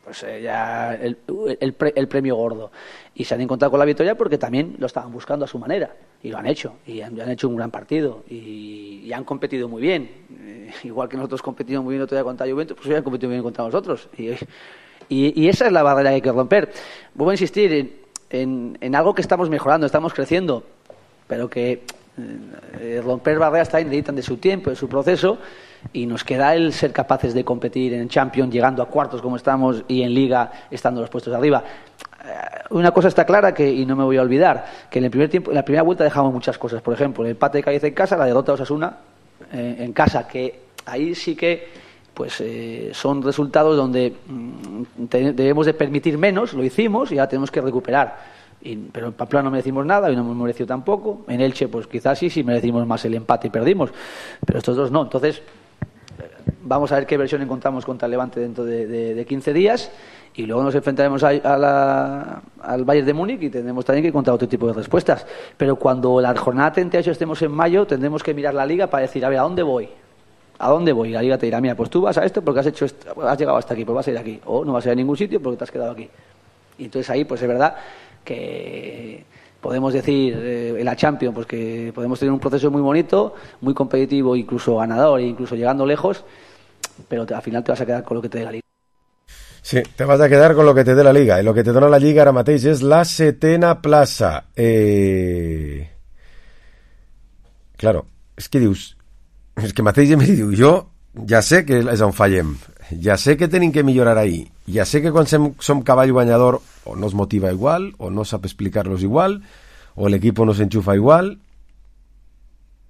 Speaker 11: pues eh, ya el, el, pre, el premio gordo. Y se han encontrado con la victoria porque también lo estaban buscando a su manera. Y lo han hecho. Y han, han hecho un gran partido. Y, y han competido muy bien. Eh, igual que nosotros competimos muy bien otro día contra Juventus, pues ellos han competido muy bien contra nosotros. Y, y, y esa es la barrera que hay que romper. Vuelvo a insistir en, en, en algo que estamos mejorando, estamos creciendo, pero que eh, romper barreras también necesitan de su tiempo, de su proceso. Y nos queda el ser capaces de competir en Champions llegando a cuartos como estamos y en Liga estando en los puestos de arriba. Una cosa está clara que, y no me voy a olvidar, que en el primer tiempo, en la primera vuelta dejamos muchas cosas. Por ejemplo, el empate de Cádiz en casa, la derrota de Osasuna eh, en casa, que ahí sí que pues eh, son resultados donde mm, te, debemos de permitir menos, lo hicimos y ahora tenemos que recuperar. Y, pero en Pamplona no merecimos nada y no hemos merecido tampoco. En Elche pues quizás sí, sí merecimos más el empate y perdimos, pero estos dos no. Entonces vamos a ver qué versión encontramos contra el Levante dentro de, de, de quince días y luego nos enfrentaremos a, a la, al Bayern de Múnich y tendremos también que encontrar otro tipo de respuestas. Pero cuando la jornada treinta y ocho estemos en mayo tendremos que mirar la Liga para decir, a ver, ¿a dónde voy? ¿A dónde voy? Y la Liga te dirá, mira, pues tú vas a esto porque has hecho esto, has llegado hasta aquí, pues vas a ir aquí. O no vas a ir a ningún sitio porque te has quedado aquí. Y entonces ahí pues es verdad que podemos decir eh, en la Champions pues que podemos tener un proceso muy bonito, muy competitivo, incluso ganador, e incluso llegando lejos, pero te, al final te vas a quedar con lo que te dé la Liga.
Speaker 3: Sí, te vas a quedar con lo que te dé la Liga, i el que te dona la Lliga ara mateix és la setena plaça. Eh... Claro, és que dius, és que mateix em diu, jo ja sé que és on fallem, ja sé que tenim que millorar ahí, ja sé que quan som, som cavall guanyador o no es motiva igual, o no sap explicar-los igual, o l'equip no s'enxufa igual,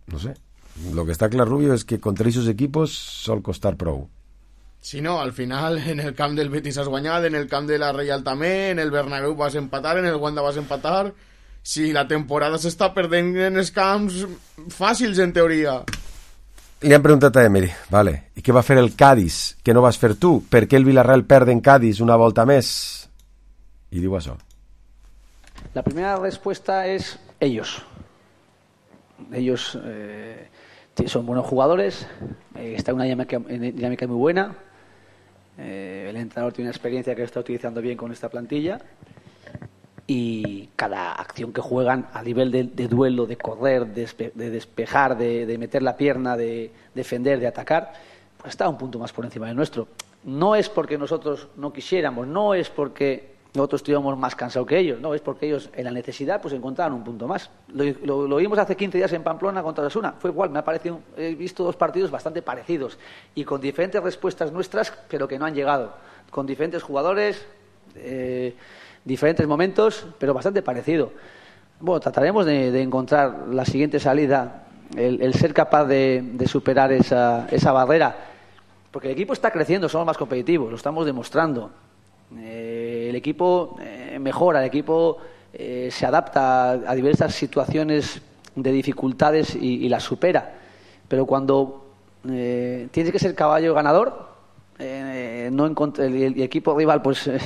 Speaker 3: no sé. Lo que està clar, Rubio, és que contra aquests equipos sol costar prou.
Speaker 4: Si no, al final en el camp del Betis has guanyat, en el camp de la Reial també, en el Bernabéu vas empatar, en el Wanda vas empatar. Si la temporada s'està perdent en els camps fàcils, en teoria.
Speaker 3: Li han preguntat a Emery, vale, i què va fer el Cádiz, que no vas fer tu? Per què el Villarreal perd en Cádiz una volta més? I diu això.
Speaker 11: La primera respuesta es ellos. Ellos eh, son buenos jugadores, eh, está en una dinámica, dinámica muy buena. Eh, el entrenador tiene una experiencia que está utilizando bien con esta plantilla y cada acción que juegan a nivel de, de duelo, de correr, de, despe, de despejar, de, de meter la pierna, de defender, de atacar, pues está un punto más por encima del nuestro. No es porque nosotros no quisiéramos, no es porque nosotros estuviéramos más cansados que ellos, no, es porque ellos en la necesidad pues encontraron un punto más. Lo, lo, lo vimos hace quince días en Pamplona contra Osasuna, fue igual, me ha parecido, he visto dos partidos bastante parecidos y con diferentes respuestas nuestras, pero que no han llegado, con diferentes jugadores, eh, diferentes momentos, pero bastante parecido. Bueno, trataremos de, de encontrar la siguiente salida, el, el ser capaz de, de superar esa, esa barrera, porque el equipo está creciendo, somos más competitivos, lo estamos demostrando. Eh, el equipo eh, mejora, el equipo eh, se adapta a, a diversas situaciones de dificultades y, y las supera. Pero cuando eh, tienes que ser caballo ganador, eh, no encontra, el, el equipo rival pues eh,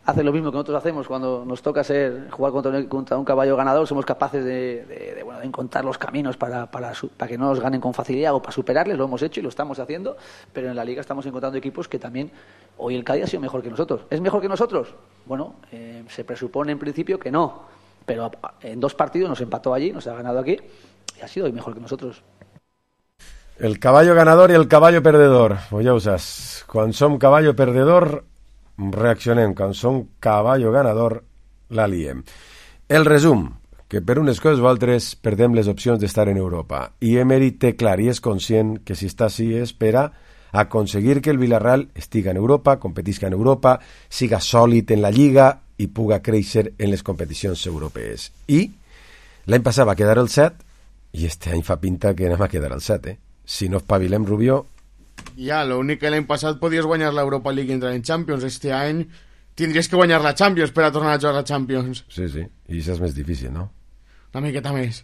Speaker 11: hace lo mismo que nosotros hacemos cuando nos toca ser jugar contra un, contra un caballo ganador, somos capaces de, de, de, bueno, de encontrar los caminos para, para, para que no nos ganen con facilidad o para superarles, lo hemos hecho y lo estamos haciendo, pero en la Liga estamos encontrando equipos que también, hoy el Cádiz ha sido mejor que nosotros. ¿Es mejor que nosotros? Bueno, eh, se presupone en principio que no, pero en dos partidos nos empató allí, nos ha ganado aquí y ha sido hoy mejor que nosotros.
Speaker 3: El caballo ganador i el caballo perdedor, pues ja ho saps, quan som caballo perdedor reaccionem, quan som caballo ganador la liem. El resum, que per unes coses o altres perdem les opcions d'estar en Europa, i Emery té clar i és conscient que si està així és per a aconseguir que el Villarreal estiga en Europa, competisca en Europa, siga sòlid en la Lliga i puga créixer en les competicions europees. I l'any passat va quedar el set i este any fa pinta que anem a quedar el set, eh? Si no espavilem, Rubio...
Speaker 4: Ja, l'únic que l'any passat podies guanyar l'Europa League i entrar en Champions. Este any tindries que guanyar la Champions per a tornar a jugar a Champions.
Speaker 3: Sí, sí, i això és més difícil, ¿no?
Speaker 4: Una miqueta més.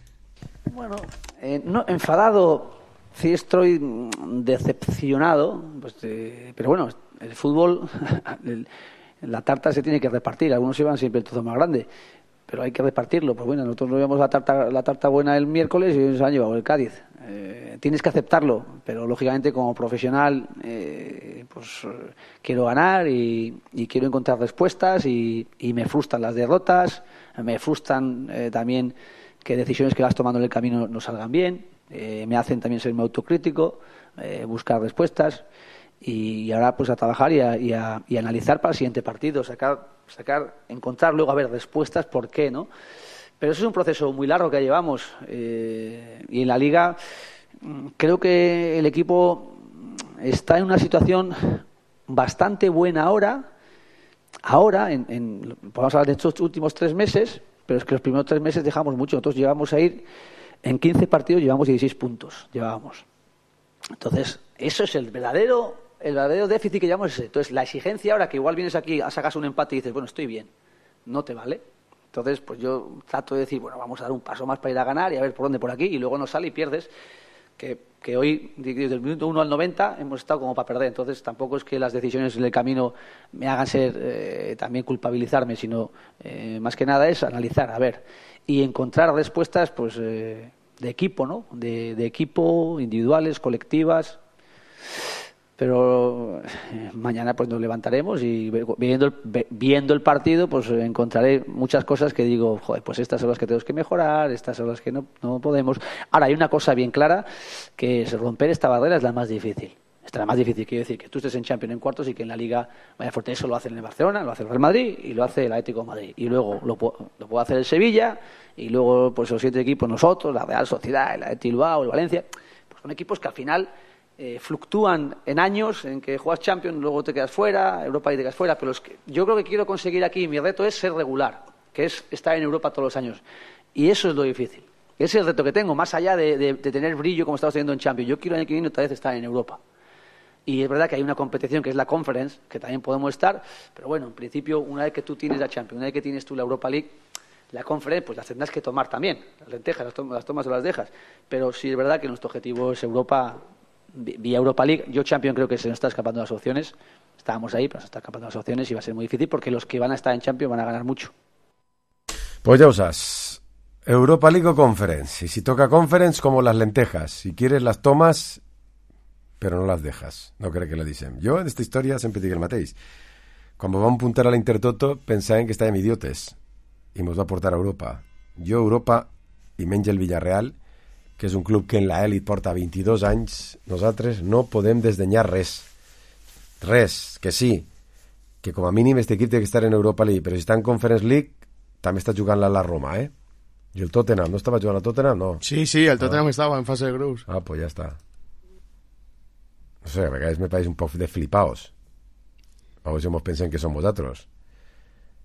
Speaker 11: Bueno, eh, no, enfadado, sí estoy decepcionado, pues, eh, pero bueno, el fútbol, el, la tarta se tiene que repartir, algunos llevan siempre el trozo más grande, pero hay que repartirlo. Pues bueno, nosotros nos llevamos la tarta, la tarta buena el miércoles y nos han llevado el Cádiz. Eh, tienes que aceptarlo, pero lógicamente como profesional eh, pues eh, quiero ganar y, y quiero encontrar respuestas y, y me frustran las derrotas, me frustran eh, también que decisiones que vas tomando en el camino no salgan bien, eh, me hacen también ser muy autocrítico, eh, buscar respuestas y ahora pues a trabajar y a, y a, y a analizar para el siguiente partido, sacar, sacar, encontrar luego a ver respuestas por qué, ¿no? Pero eso es un proceso muy largo que llevamos eh, y en la Liga creo que el equipo está en una situación bastante buena ahora, ahora, en, en, podemos hablar de estos últimos tres meses, pero es que los primeros tres meses dejamos mucho. Nosotros llevamos a ir, en quince partidos llevamos dieciséis puntos, llevábamos. Entonces, eso es el verdadero, el verdadero déficit que llevamos ese. Entonces, la exigencia ahora que igual vienes aquí, sacas un empate y dices, bueno, estoy bien, no te vale. Entonces, pues yo trato de decir, bueno, vamos a dar un paso más para ir a ganar y a ver por dónde por aquí, y luego no sale y pierdes, que, que hoy, desde el minuto uno al noventa, hemos estado como para perder. Entonces, tampoco es que las decisiones en el camino me hagan ser, eh, también culpabilizarme, sino, eh, más que nada es analizar, a ver, y encontrar respuestas, pues, eh, de equipo, ¿no? De, de equipo, individuales, colectivas. Pero eh, mañana pues nos levantaremos y viendo el, viendo el partido pues encontraré muchas cosas que digo, joder, pues estas son las que tenemos que mejorar, estas son las que no, no podemos. Ahora, hay una cosa bien clara, que es romper esta barrera es la más difícil. Esta es la más difícil, quiero decir, que tú estés en Champions en cuartos y que en la Liga vaya fuerte. Eso lo hacen en el Barcelona, lo hace el Real Madrid y lo hace el Atlético de Madrid. Y luego lo, lo puede hacer el Sevilla y luego pues los siete equipos nosotros, la Real Sociedad, el Athletic Bilbao, el Valencia. Pues son equipos que al final Eh, fluctúan en años en que juegas Champions, luego te quedas fuera, Europa y te quedas fuera, pero es que yo creo que quiero conseguir aquí, mi reto es ser regular, que es estar en Europa todos los años, y eso es lo difícil, ese es el reto que tengo, más allá de, de, de tener brillo como estamos teniendo en Champions. Yo quiero el año que viene otra vez estar en Europa, y es verdad que hay una competición que es la Conference, que también podemos estar, pero bueno, en principio una vez que tú tienes la Champions, una vez que tienes tú la Europa League, la Conference pues las tendrás que tomar también, las lentejas, las tomas, las tomas o las dejas, pero sí es verdad que nuestro objetivo es Europa vía Europa League. Yo Champions creo que se nos está escapando las opciones, estábamos ahí pero se está escapando las opciones y va a ser muy difícil porque los que van a estar en Champions van a ganar mucho.
Speaker 3: Pues ya usas Europa League o Conference, y si toca Conference como las lentejas, si quieres las tomas pero no las dejas, no crec que la dicen. Jo en esta història sempre dic el mateix, quan vam puntar a l'Intertoto pensaven que estàvem idiotes i ens va portar a Europa. Jo Europa i menys el Villarreal, que és un club que en la elit porta vint-i-dos anys, nosaltres no podem desdenyar res. Res, que sí, que com a mínim este equip té que estar en Europa League, però si està en Conference League, també està jugant-la a la Roma, eh? I el Tottenham, ¿no estava jugant a Tottenham? No.
Speaker 4: Sí, sí, el Tottenham ah. estava en fase de grups.
Speaker 3: Ah, pues ya está. No sé, a vegades me pareix un poc de flipaos. A veure si mos pensem que som vosaltres.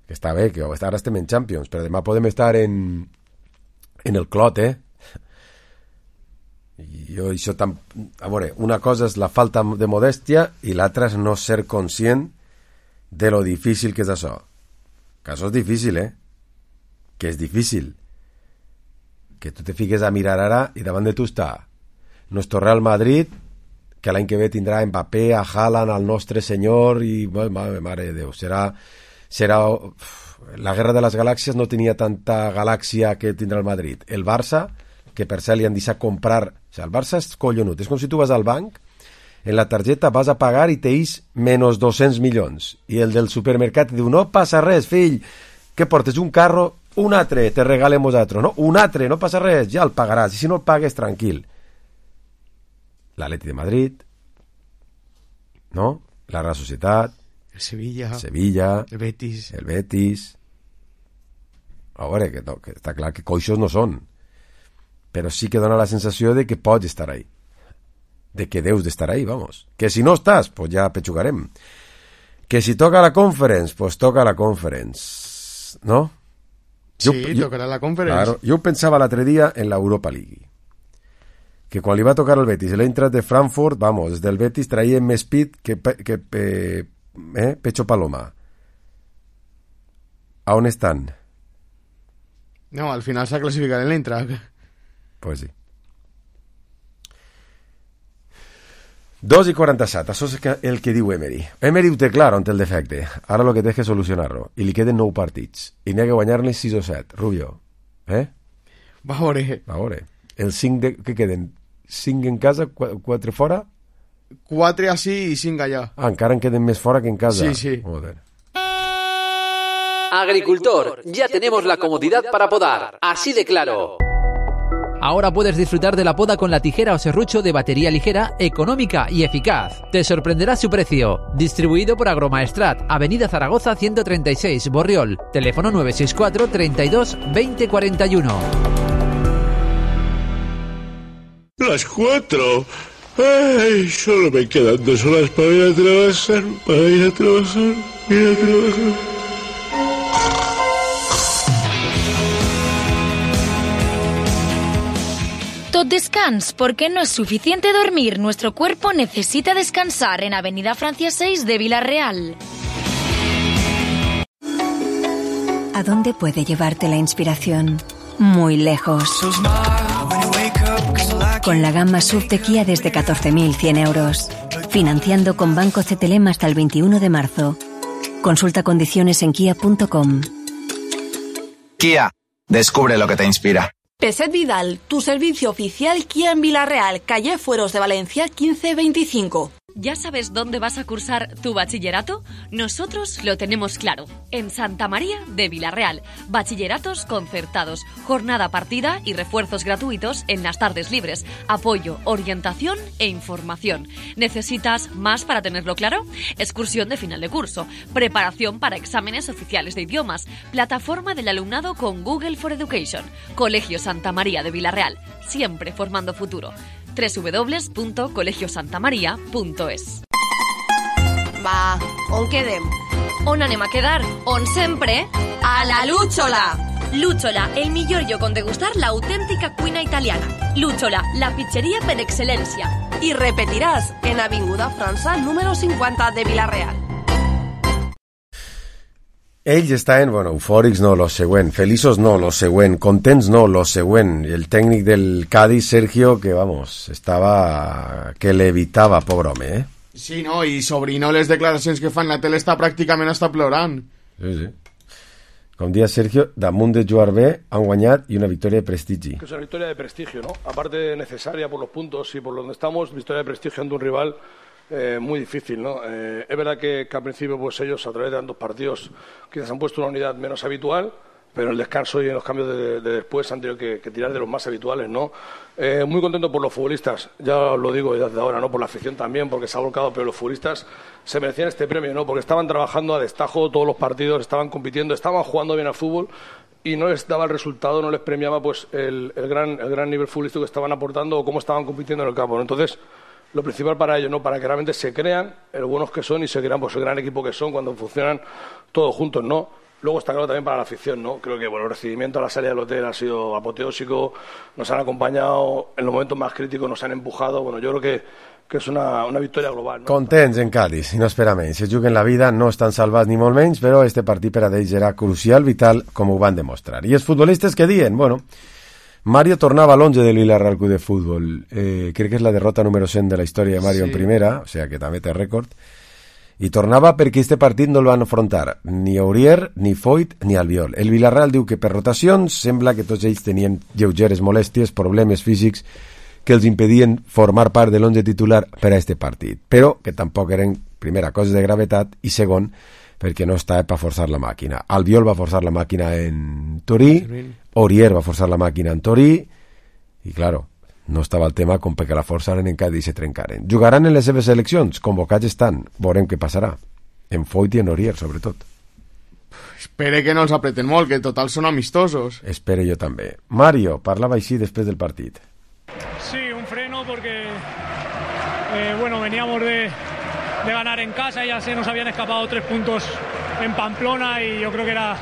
Speaker 3: Que està bé, que ara estem en Champions, però demà podem estar en, en el Clot, eh? I jo això tam... a veure, una cosa és la falta de modèstia i l'altra és no ser conscient de lo difícil que és això, que això és difícil, eh que és difícil, que tu te fiques a mirar ara i davant de tu està nuestro Real Madrid, que l'any que ve tindrà Mbappé, a Haaland, al nostre senyor i mare, mare de Déu, serà serà la guerra de les galàxies. No tenia tanta galàxia que tindrà el Madrid. El Barça, que per cert li han deixat comprar, o sigui, el Barça és collonut, és com si tu vas al banc, en la targeta vas a pagar i teis menys dos-cents milions, i el del supermercat diu, no passa res, fill, que portes un carro, un altre te regalem vosaltres, no? Un altre, no passa res, ja el pagaràs, i si no el pagues, tranquil. L'Atleti de Madrid, no? La Real Societat,
Speaker 4: el Sevilla,
Speaker 3: Sevilla,
Speaker 4: el Betis,
Speaker 3: el Betis. A veure, que, no, que està clar que coixos no són, però sí que dona la sensació de que pots estar ahí, de que deus d'estar ahí, vamos. Que si no estàs, pues ja pechugarem. Que si toca la Conference, pues toca la Conference, ¿no?
Speaker 4: Sí, jo, tocarà la Conference.
Speaker 3: Claro, jo pensava l'altre dia en la Europa League, que quan li va tocar el Betis, l'Eintracht de Frankfurt, vamos, des del Betis traien més pit que, que eh, eh, Pecho Paloma. A on estan?
Speaker 4: No, al final s'ha classificat en l'Eintracht.
Speaker 3: Pues sí. dos i quaranta-set, això és el que diu Emery. Emery ho té clar on té el defecte. Ara el que té és que solucionar-lo. I li queden nou partits. I n'hi ha que guanyar-ne sis o set. Rubio, eh?
Speaker 4: Va a veure.
Speaker 3: Va a veure. Els cinc de... Què queden? Cinc en casa, quatre fora?
Speaker 4: Quatre així i cinc allà.
Speaker 3: Ah, encara en queden més fora que en casa.
Speaker 4: Sí, sí.
Speaker 3: Joder.
Speaker 12: Agricultor, ya tenemos la comodidad para podar. Así de claro. Ahora puedes disfrutar de la poda con la tijera o serrucho de batería ligera, económica y eficaz. Te sorprenderá su precio. Distribuido por Agromaestrat, Avenida Zaragoza ciento treinta y seis, Borriol. Teléfono nueve seis cuatro, treinta y dos, veinte cuarenta y uno.
Speaker 13: Las cuatro. Ay, solo me quedan dos horas para ir a trabajar, para ir a trabajar, ir a trabajar.
Speaker 6: Tot descans, porque no es suficiente dormir. Nuestro cuerpo necesita descansar en Avenida Francia seis de Villarreal.
Speaker 14: ¿A dónde puede llevarte la inspiración? Muy lejos. Con la gama S U V de Kia desde catorce mil cien euros. Financiando con Banco C T L M hasta el veintiuno de marzo. Consulta condiciones en kia punto com.
Speaker 15: Kia, descubre lo que te inspira.
Speaker 9: Peset Vidal, tu servicio oficial Kia en Villarreal, calle Fueros de Valencia quince veinticinco.
Speaker 16: ¿Ya sabes dónde vas a cursar tu bachillerato? Nosotros lo tenemos claro. En Santa María de Villarreal. Bachilleratos concertados, jornada partida y refuerzos gratuitos en las tardes libres. Apoyo, orientación e información. ¿Necesitas más para tenerlo claro? Excursión de final de curso. Preparación para exámenes oficiales de idiomas. Plataforma del alumnado con Google for Education. Colegio Santa María de Villarreal. Siempre formando futuro. doble u doble u doble u punto colegio santa maria punto es.
Speaker 9: Va, on quedem?
Speaker 16: On anem a quedar? On sempre?
Speaker 9: A la Lúchola!
Speaker 16: Lúchola, el millor lloc on degustar l'autèntica cuina italiana. Lúchola, la pizzeria per excel·lència.
Speaker 9: I repetiràs en Avinguda França número cinquanta de Villarreal.
Speaker 3: Ells estaven, bueno, eufòrics no, lo següent, feliços no, lo següent, contents no, lo següent. I el tècnic del Cádiz, Sergio, que, vamos, estava... que l'evitava, pobre home, eh?
Speaker 4: Sí, no, i Sobrino les declaracions que fan la tele està pràcticament està plorant.
Speaker 3: Sí, sí. Com dia Sergio, damunt de jugar bé, han guanyat i una victòria de prestigi.
Speaker 17: Que es una victoria de prestigio, ¿no? Aparte necesaria por los puntos y por donde estamos, victoria de prestigio ante un rival Eh, muy difícil, ¿no? Eh, es verdad que, que al principio pues ellos a través de tantos partidos quizás han puesto una unidad menos habitual, pero en el descanso y en los cambios de, de después han tenido que, que tirar de los más habituales, ¿no? Eh, muy contento por los futbolistas, ya os lo digo desde ahora, ¿no? Por la afición también, porque se ha volcado, pero los futbolistas se merecían este premio, ¿no? Porque estaban trabajando a destajo todos los partidos, estaban compitiendo, estaban jugando bien al fútbol y no les daba el resultado, no les premiaba pues el, el, gran, el gran nivel futbolístico que estaban aportando o cómo estaban compitiendo en el campo, ¿no? Entonces, lo principal para ellos, ¿no? Para que realmente se crean el buenos que son y se crean pues el gran equipo que son cuando funcionan todos juntos, ¿no? Luego está claro también para la afición, ¿no? Creo que bueno, el recibimiento a la salida del hotel ha sido apoteósico, nos han acompañado en los momentos más críticos, nos han empujado, bueno, yo creo que, que és una, una victòria global, no?
Speaker 3: Contents en Cádiz, i no espera menys. Se juguen la vida, no estan salvats ni molt menys, però este partit per a ells era crucial, vital, com ho van demostrar. I els futbolistes que diuen, bueno... Mario tornava a l'onze del Villarreal Club de Futbol. Eh, crec que és la derrota número cent de la història de Mario sí. En primera, o sigui que també té rècord. I tornava perquè este partit no el van afrontar ni Aurier, ni Foyt, ni Albiol. El Villarreal diu que per rotacions sembla que tots ells tenien lleugeres molèsties, problemes físics que els impedien formar part de l'onze titular per a este partit. Però que tampoc eren, primera, coses de gravetat i segon, perquè no estava per forçar la màquina. Albiol va forçar la màquina en Torí, Aurier va forçar la màquina en Torí, i, claro, no estava el tema com perquè la forçaren en Cádiz i se trencaren. Jugaran en les seves seleccions, convocats estan, veurem què passarà. En Foyt i en Aurier, sobretot.
Speaker 4: Espere que no els apreten molt, que total són amistosos.
Speaker 3: Espere jo també. Mario parlava així després del partit.
Speaker 18: Sí, un freno porque, eh, bueno, veníamos de... de ganar en casa, ya se nos habían escapado tres puntos en Pamplona y yo creo que era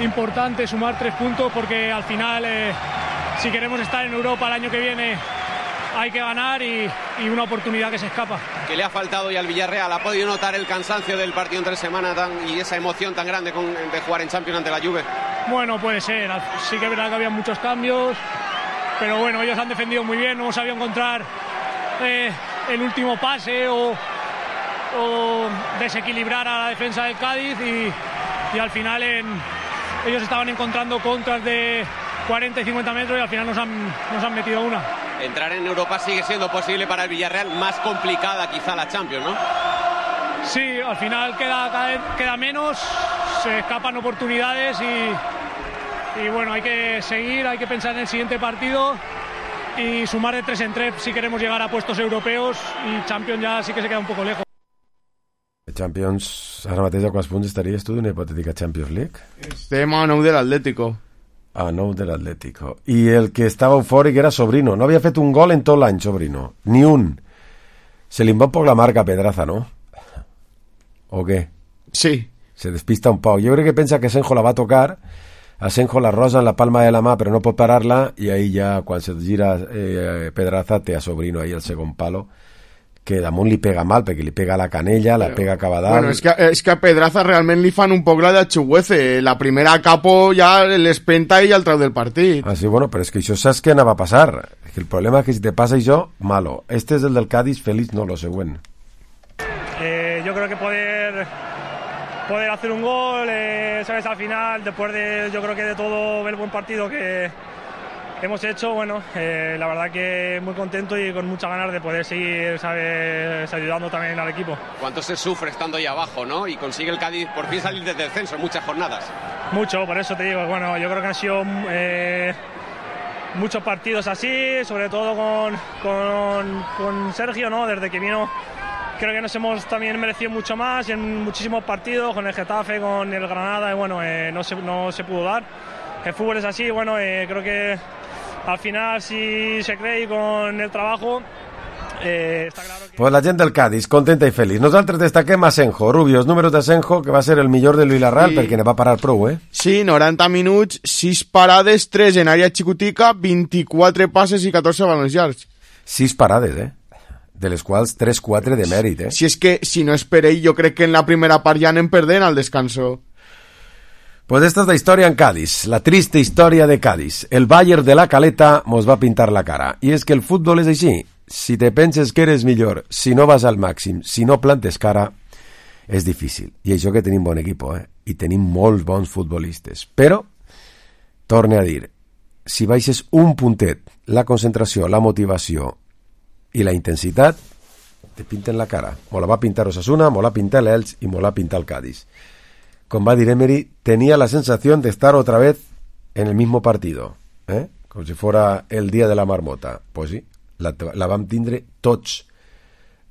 Speaker 18: importante sumar tres puntos porque al final eh, si queremos estar en Europa el año que viene hay que ganar y, y una oportunidad que se escapa.
Speaker 19: ¿Qué le ha faltado hoy al Villarreal? ¿Ha podido notar el cansancio del partido entre semana tan, y esa emoción tan grande con, de jugar en Champions ante la Juve?
Speaker 18: Bueno, puede ser, sí que es verdad que había muchos cambios, pero bueno, ellos han defendido muy bien, no hemos sabido encontrar eh, el último pase o, o desequilibrar a la defensa del Cádiz y, y al final en, ellos estaban encontrando contras de cuarenta y cincuenta metros y al final nos han, nos han metido una.
Speaker 19: Entrar en Europa sigue siendo posible para el Villarreal, más complicada quizá la Champions, ¿no?
Speaker 18: Sí, al final queda, cada vez queda menos, se escapan oportunidades y, y bueno, hay que seguir, hay que pensar en el siguiente partido y sumar de tres en tres si queremos llegar a puestos europeos, y Champions ya sí que se queda un poco lejos.
Speaker 3: Champions, ara mateix a quants punts estaries tu d'una hipotètica Champions League?
Speaker 4: Estem a nou de l'Atlético.
Speaker 3: A nou de l'Atlético. I el que estava eufòric era Sobrino. No havia fet un gol en tot l'any, Sobrino. Ni un. Se li va un poc la marca a Pedraza, no? ¿O qué?
Speaker 4: Sí.
Speaker 3: Se despista un poc. Jo crec que pensa que Senjo la va a tocar, a Senjo la rosa en la palma de la mà, però no pot parar-la, i ahí ja, quan se gira eh, Pedraza, té a Sobrino ahí el segon palo, que damunt li pega mal, perquè li pega la canella, la pega cap a dalt.
Speaker 4: Bueno, és que, és que a Pedraza realment li fan un poc la de Chuguece. La primera capo ja l'espenta i el trau del partit.
Speaker 3: Ah, sí, bueno, però és que això saps què anava a passar. És que el problema és que si te passa això, malo. Este és el del Cádiz, feliz, no, lo següent.
Speaker 18: Eh, yo creo que poder poder hacer un gol, eh, sabes, al final, después de, yo creo que de todo el buen partido que hemos hecho, bueno, eh, la verdad que muy contento y con muchas ganas de poder seguir, sabes, ayudando también al equipo.
Speaker 19: ¿Cuánto se sufre estando ahí abajo, no? Y consigue el Cádiz por fin salir del descenso en muchas jornadas.
Speaker 18: Mucho, por eso te digo, bueno, yo creo que han sido eh, muchos partidos así, sobre todo con, con, con Sergio, ¿no? Desde que vino, creo que nos hemos también merecido mucho más en muchísimos partidos, con el Getafe, con el Granada, y bueno, eh, no, se, no se pudo dar. El fútbol es así, bueno, eh, creo que al final, si se cree y con el trabajo, eh, está claro que...
Speaker 3: Pues la gent del Cádiz, contenta i feliç. Nosaltres destaquem a Senjo, Rubio, els números de Senjo, que va ser el millor del Villarreal, sí, perquè ne va parar prou, eh?
Speaker 4: Sí, noranta minuts, sis parades, tres en àrea xicotica, vint-i-quatre passes i catorze balons llargs.
Speaker 3: sis parades, eh? De les quals tres quatre de mèrit, eh?
Speaker 4: Si és que, si no és per ell, jo crec que en la primera part ja anem perdent al descanso.
Speaker 3: Pues esta es la historia en Cádiz, la triste historia de Cádiz. El Bayern de la Caleta mos va a pintar la cara. Y es que el fútbol es així. Si te penses que eres millor, si no vas al màxim, si no plantes cara, és difícil. I això que tenim bon equip, eh? I tenim molts bons futbolistes. Però, torne a dir, si baixes un puntet, la concentració, la motivació i la intensitat, te pinten la cara. Mo la va pintar Osasuna, mo la pinta l'Elx i mo la pinta el Cádiz. Con va dir Emery, tenía la sensación de estar otra vez en el mismo partido, ¿eh? Como si fuera el día de la marmota. Pues sí, la, la vam tindre tots,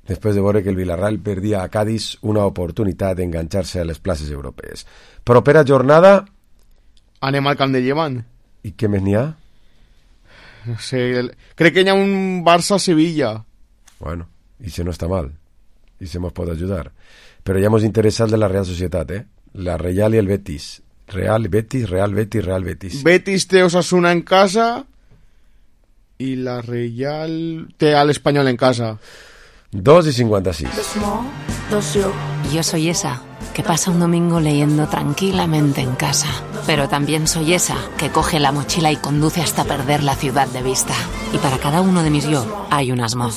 Speaker 3: després de veure que el Villarreal perdia a Cádiz una oportunitat d'enganxar-se a les places europees. Propera jornada...
Speaker 4: Anem al camp de Llevant.
Speaker 3: I què més n'hi ha?
Speaker 4: No sé, el... crec que hi ha un Barça-Sevilla.
Speaker 3: Bueno, i si no està mal. I se mos pot ajudar. Però ja mos interessa el de la Real Societat, eh? La Real y el Betis. Real, Betis, Real, Betis, Real, Betis.
Speaker 4: Betis té Osasuna en casa y la Real té al Español en casa.
Speaker 3: dos y cincuenta y seis.
Speaker 20: Yo soy esa que pasa un domingo leyendo tranquilamente en casa. Pero también soy esa que coge la mochila y conduce hasta perder la ciudad de vista. Y para cada uno de mis yo hay un Asmo.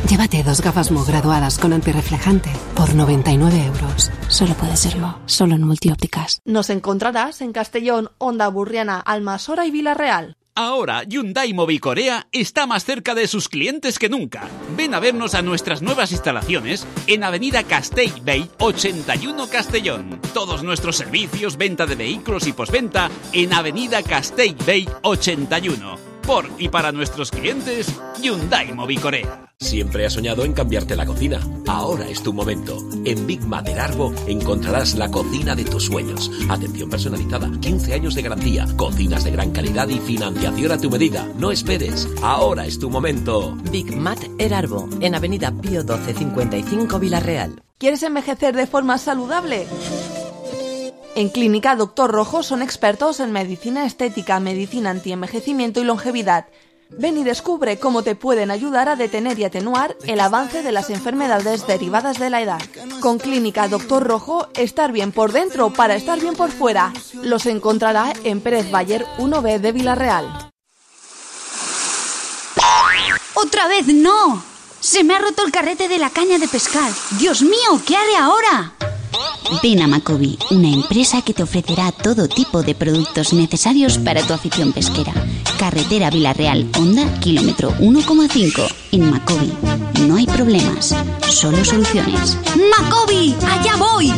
Speaker 21: Llévate dos gafas Mo graduadas con antirreflejante por noventa y nueve euros. Solo puede ser Mo, solo en Multiópticas.
Speaker 22: Nos encontrarás en Castellón, Onda Burriana, Almasora y Villarreal.
Speaker 23: Ahora, Hyundai Mobicorea está más cerca de sus clientes que nunca. Ven a vernos a nuestras nuevas instalaciones en Avenida Castellbell ochenta y uno Castellón. Todos nuestros servicios, venta de vehículos y postventa en Avenida Castellbell ochenta y uno. Por y para nuestros clientes, Hyundai Mobicorea.
Speaker 24: Siempre has soñado en cambiarte la cocina. Ahora es tu momento. En Big Mater Arbo encontrarás la cocina de tus sueños. Atención personalizada, quince años de garantía, cocinas de gran calidad y financiación a tu medida. No esperes. Ahora es tu momento.
Speaker 25: Big Mater Arbo, en Avenida Pío doce cincuenta y cinco Villarreal.
Speaker 22: ¿Quieres envejecer de forma saludable? En Clínica Doctor Rojo son expertos en medicina estética, medicina antienvejecimiento y longevidad. Ven y descubre cómo te pueden ayudar a detener y atenuar el avance de las enfermedades derivadas de la edad. Con Clínica Doctor Rojo, estar bien por dentro para estar bien por fuera. Los encontrará en Pérez Bayer uno B de Villarreal.
Speaker 26: ¡Otra vez no!
Speaker 1: Se me ha roto el carrete de la caña de pescar. Dios mío, ¿qué haré ahora? Ven a Macobi, una empresa que te ofrecerá todo tipo de productos necesarios para tu afición pesquera. Carretera Vilarreal, Honda, kilómetro uno coma cinco. En Macobi no hay problemas, solo soluciones. ¡Macobi! ¡Allá voy!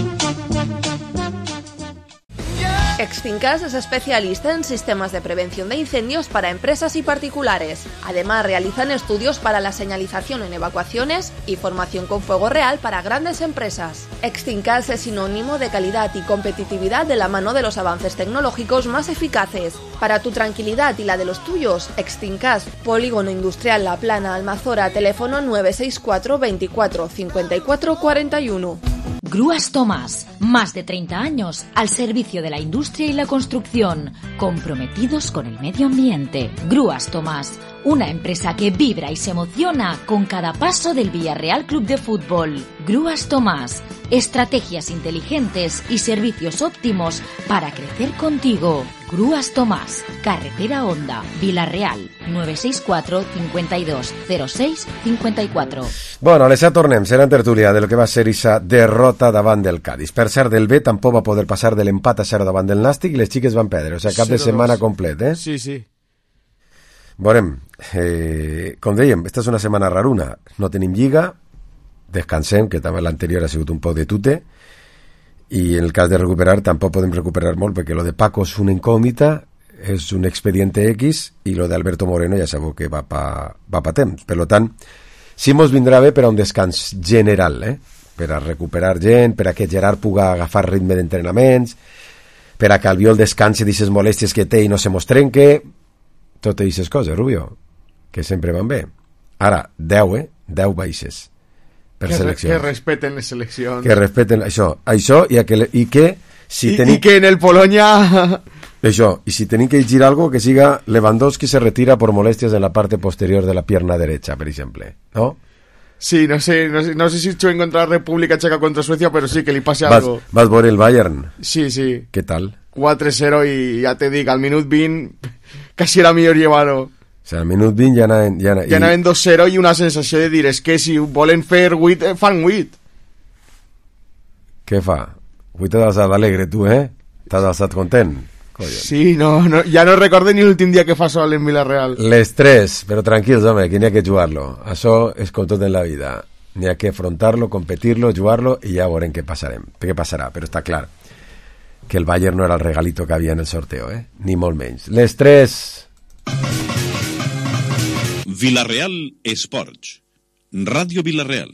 Speaker 22: Extincas es especialista en sistemas de prevención de incendios para empresas y particulares. Además, realizan estudios para la señalización en evacuaciones y formación con fuego real para grandes empresas. Extincas es sinónimo de calidad y competitividad de la mano de los avances tecnológicos más eficaces. Para tu tranquilidad y la de los tuyos, Extincas, Polígono Industrial La Plana, Almazora, teléfono nueve seis cuatro veinticuatro cincuenta y cuatro cuarenta y uno.
Speaker 6: Grúas Tomás, más de treinta años al servicio de la industria y la construcción, comprometidos con el medio ambiente. Grúas Tomás, una empresa que vibra y se emociona con cada paso del Villarreal Club de Fútbol. Grúas Tomás, estrategias inteligentes y servicios óptimos para crecer contigo. Grúas Tomás, Carretera Honda, Vilarreal, nueve seis cuatro cincuenta y dos cero seis cincuenta y cuatro.
Speaker 3: Bueno, les ja tornem, serà en tertúlia de lo que va ser esa derrota davant del Cádiz. Per cert, del B tampoc va poder passar de l'empat a zero davant del Nàstic i les xiques van perdre, o sigui, cap de setmana complet, eh?
Speaker 4: Sí, sí.
Speaker 3: Veurem, eh, com dèiem, esta és una setmana raruna, no tenim lliga, descansem, que també l'anterior ha sigut un poc de tute, i en el cas de recuperar tampoc podem recuperar molt perquè lo de Paco és una incògnita, és un expediente X, i lo de Alberto Moreno ja sabeu que va pa, va pa temps. Per tant, sí mos vindrà bé per a un descans general, eh? Per a recuperar gent, per a que Gerard puga agafar ritme d'entrenaments, per a que Albiol descansi d'aquestes molèsties que té i no se mos trenque, totes aquestes coses, Rubio, que sempre van bé. Ara, deu, eh? deu baixes per
Speaker 4: que,
Speaker 3: seleccions.
Speaker 4: Que respeten les seleccions.
Speaker 3: Que respeten això, això i, que, i que si
Speaker 4: I,
Speaker 3: tenim...
Speaker 4: i que en el Polonia...
Speaker 3: Això, i si tenim que llegir algo que siga Lewandowski se retira por molestias en la parte posterior de la pierna derecha, per exemple, ¿no?
Speaker 4: Sí, no sé, no sé, no sé si chuven contra la República Checa contra Suecia, pero sí que le pase
Speaker 3: vas,
Speaker 4: algo.
Speaker 3: Vas por el Bayern?
Speaker 4: Sí, sí.
Speaker 3: ¿Qué tal?
Speaker 4: quatre cero i ja te dic, al minut vint quasi era millor llevar-ho.
Speaker 3: O sigui, al minut vint ja anaven... Ja,
Speaker 4: ja anaven dos cero i una sensació de dir, és que si volen fer vuit, fan vuit.
Speaker 3: Què fa? Avui t'has alçat alegre, tu, eh? T'has alçat content? Collons.
Speaker 4: Sí, no, no, ja no recordo ni l'últim dia que fa sol en Villarreal.
Speaker 3: L'estrès, però tranquils, home, que n'hi ha que jugar-lo. Això és com tot en la vida. N'hi ha que afrontar-lo, competir-lo, jugar-lo i ja veurem què passarem, què passarà, però està clar que el Bayern no era el regalito que havia en el sorteo, eh? Ni molt menys. L'estrès...
Speaker 2: Villarreal Esports. Ràdio Villarreal.